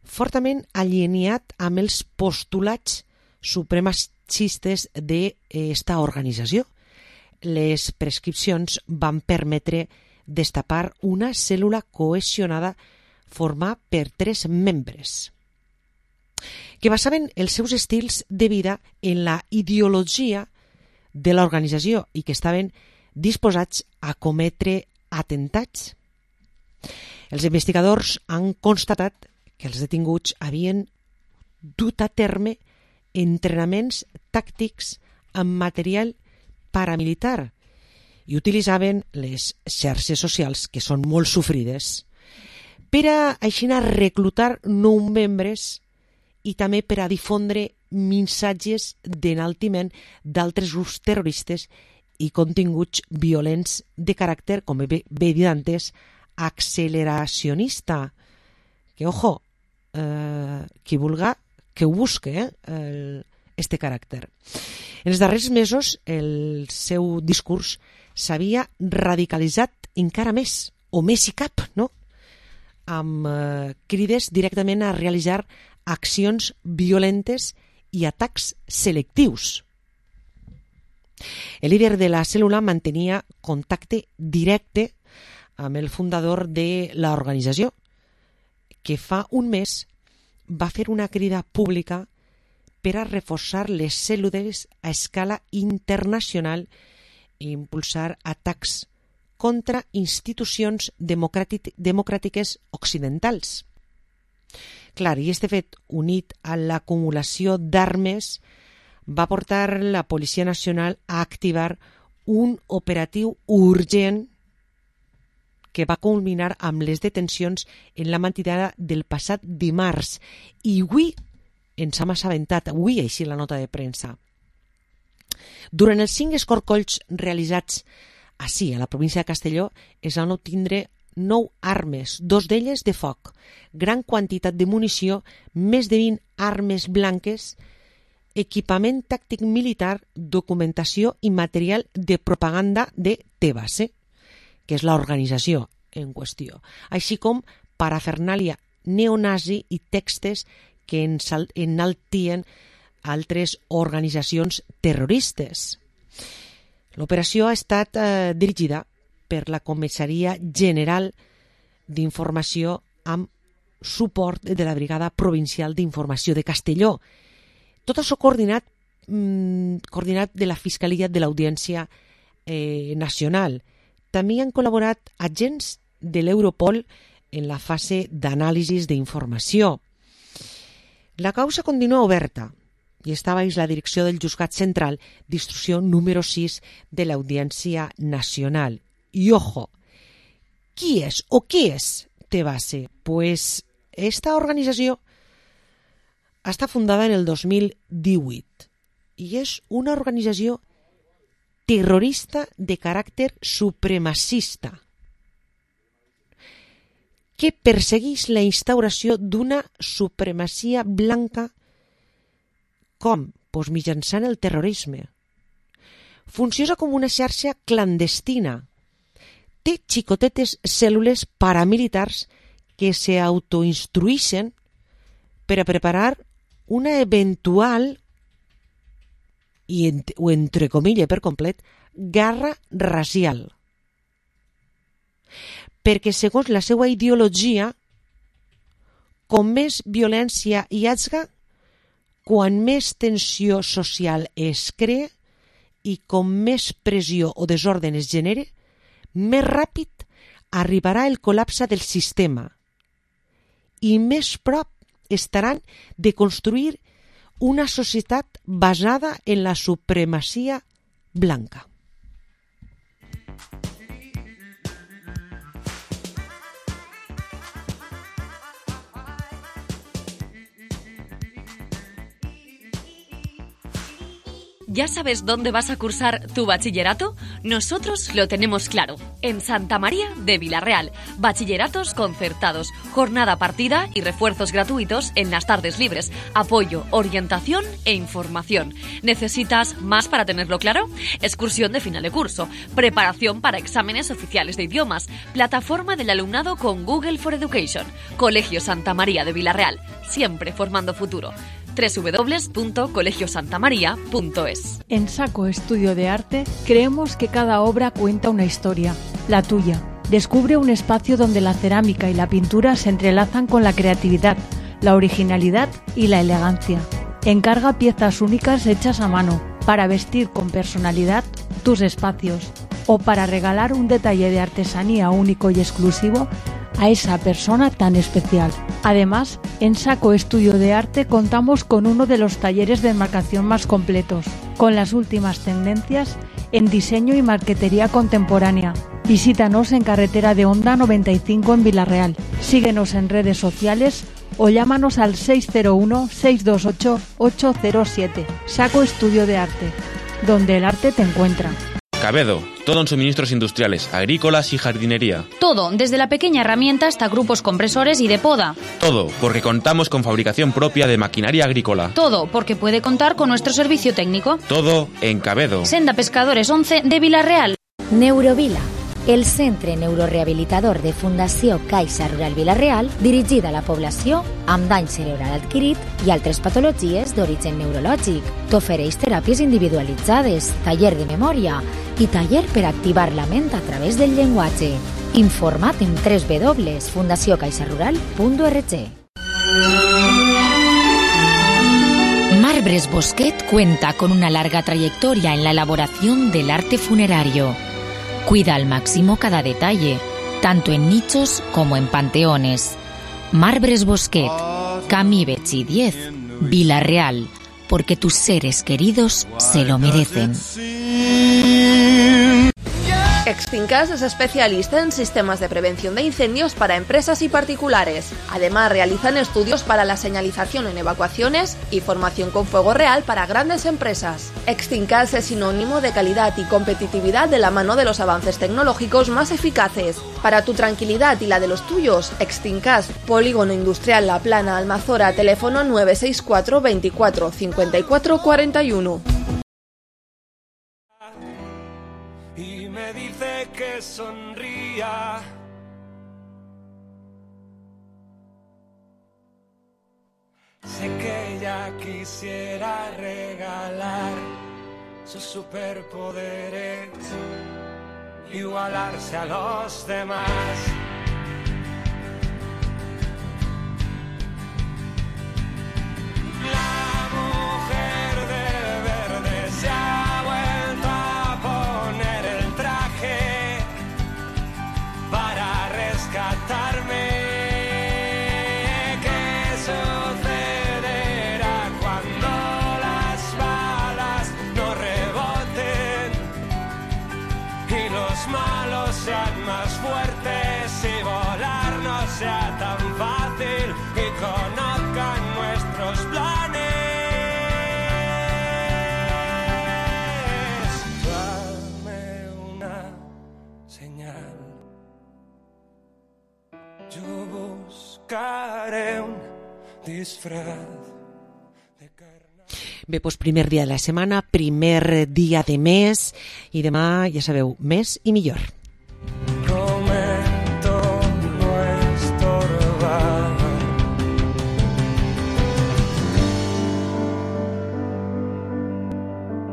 fortament alineat amb els postulats supremacistes d'esta organització. Les prescripcions van permetre destapar una cèl·lula cohesionada formada per tres membres que basaven els seus estils de vida en la ideologia de l'organització i que estaven disposats a cometre atemptats. Els investigadors han constatat que els detinguts havien dut a terme entrenaments tàctics amb material paramilitar i utilitzaven les xarxes socials, que són molt sofrides, per a així reclutar nous membres i també per a difondre missatges d'enaltiment d'altres grups terroristes i continguts violents de caràcter, com bé dit antes, acceleracionista. Que, ojo, eh, qui vulga, que ho busque, eh, el, este caràcter. En els darrers mesos, el seu discurs s'havia radicalitzat encara més, o més i cap, no? Amb eh, crides directament a realitzar accions violentes i atacs selectius. El líder de la cèl·lula mantenia contacte directe amb el fundador de l'organització, que fa un mes va fer una crida pública per a reforçar les cèl·lules a escala internacional i impulsar atacs contra institucions democràtic, democràtiques occidentals. Clar, i este fet, unit a l'acumulació d'armes, va portar la Policia Nacional a activar un operatiu urgent que va culminar amb les detencions en la matinada del passat dimarts. I avui ens hem assabentat, avui així la nota de premsa. Durant els cinc escorcolls realitzats així, a la província de Castelló, es van obtindre nou armes, dos d'elles de foc, gran quantitat de munició, més de vint armes blanques, equipament tàctic militar, documentació i material de propaganda de Tebase, que és l'organització en qüestió, així com parafernàlia neonazi i textos que enaltien altres organitzacions terroristes. L'operació ha estat eh, dirigida per la Comissaria General d'Informació amb suport de la Brigada Provincial d'Informació de Castelló. Tot això coordinat, mmm, coordinat de la Fiscalia de l'Audiència eh, Nacional. També han col·laborat agents de l'Europol en la fase d'anàlisis d'informació. La causa continua oberta i està baix la direcció del Juzgat Central d'instrucció número sis de l'Audiència Nacional. I ojo, qui és o què és Tebase? Pues esta organització està fundada en el dos mil divuit i és una organització terrorista de caràcter supremacista que persegueix la instauració d'una supremacia blanca com? Pues mitjançant el terrorisme. Funciona com una xarxa clandestina. Té xicotetes cèl·lules paramilitars que s'autoinstrueixen per a preparar una eventual, i ent o entre comilles per complet, guerra racial. Perquè segons la seva ideologia, com més violència hi hagi, quan més tensió social es crea i com més pressió o desordre es genere, més ràpid arribarà el col·lapse del sistema i més prop estaran de construir una societat basada en la supremacia blanca. ¿Ya sabes dónde vas a cursar tu bachillerato? Nosotros lo tenemos claro. En Santa María de Vilarreal. Bachilleratos concertados, jornada partida y refuerzos gratuitos en las tardes libres. Apoyo, orientación e información. ¿Necesitas más para tenerlo claro? Excursión de final de curso. Preparación para exámenes oficiales de idiomas. Plataforma del alumnado con Google for Education. Colegio Santa María de Vilarreal. Siempre formando futuro. doble u doble u doble u punto colegio santa maría punto es. En Saco Estudio de Arte creemos que cada obra cuenta una historia, la tuya. Descubre un espacio donde la cerámica y la pintura se entrelazan con la creatividad, la originalidad y la elegancia. Encarga piezas únicas hechas a mano para vestir con personalidad tus espacios o para regalar un detalle de artesanía único y exclusivo a esa persona tan especial. Además, en Saco Estudio de Arte contamos con uno de los talleres de enmarcación más completos, con las últimas tendencias en diseño y marquetería contemporánea. Visítanos en Carretera de Honda noventa y cinco en Vilarreal. Síguenos en redes sociales o llámanos al seis cero uno, seis dos ocho, ocho cero siete. Saco Estudio de Arte, donde el arte te encuentra. Cabedo, todo en suministros industriales, agrícolas y jardinería. Todo, desde la pequeña herramienta hasta grupos compresores y de poda. Todo, porque contamos con fabricación propia de maquinaria agrícola. Todo, porque puede contar con nuestro servicio técnico. Todo en Cabedo. Senda Pescadores once de Vilarreal. Neurovila, el centre neurorehabilitador de Fundació Caixa Rural Vilarreal, dirigida a la població amb dany cerebral adquirit i altres patologies d'origen neurològic. T'ofereix teràpies individualitzades, taller de memòria i taller per activar la ment a través del llenguatge. Informa't en doble u doble u doble u punto fundació caixa rural punto org. Marbres Bosquet cuenta con una larga trayectoria en la elaboración del arte funerario. Cuida al máximo cada detalle, tanto en nichos como en panteones. Marbres Bosquet, Camí Betxí diez, Vilarreal, porque tus seres queridos se lo merecen. Extincas es especialista en sistemas de prevención de incendios para empresas y particulares. Además, realizan estudios para la señalización en evacuaciones y formación con fuego real para grandes empresas. Extincas es sinónimo de calidad y competitividad de la mano de los avances tecnológicos más eficaces. Para tu tranquilidad y la de los tuyos, Extincas, Polígono Industrial La Plana, Almazora, teléfono nueve seis cuatro, veinticuatro, cincuenta y cuatro, cuarenta y uno. Y me dice que sonría. Sé que ella quisiera regalar sus superpoderes, igualarse a los demás. La mujer de verde se ha vuelto a poner el traje para rescatarme. ¿Qué sucederá cuando las balas no reboten y los malos sean más fuertes y volar no sea tan fácil y conozcan nuestros planes? Dame una señal, yo buscaré un disfraz. Bé, doncs primer dia de la setmana, primer dia de mes i demà, ja sabeu, més i millor.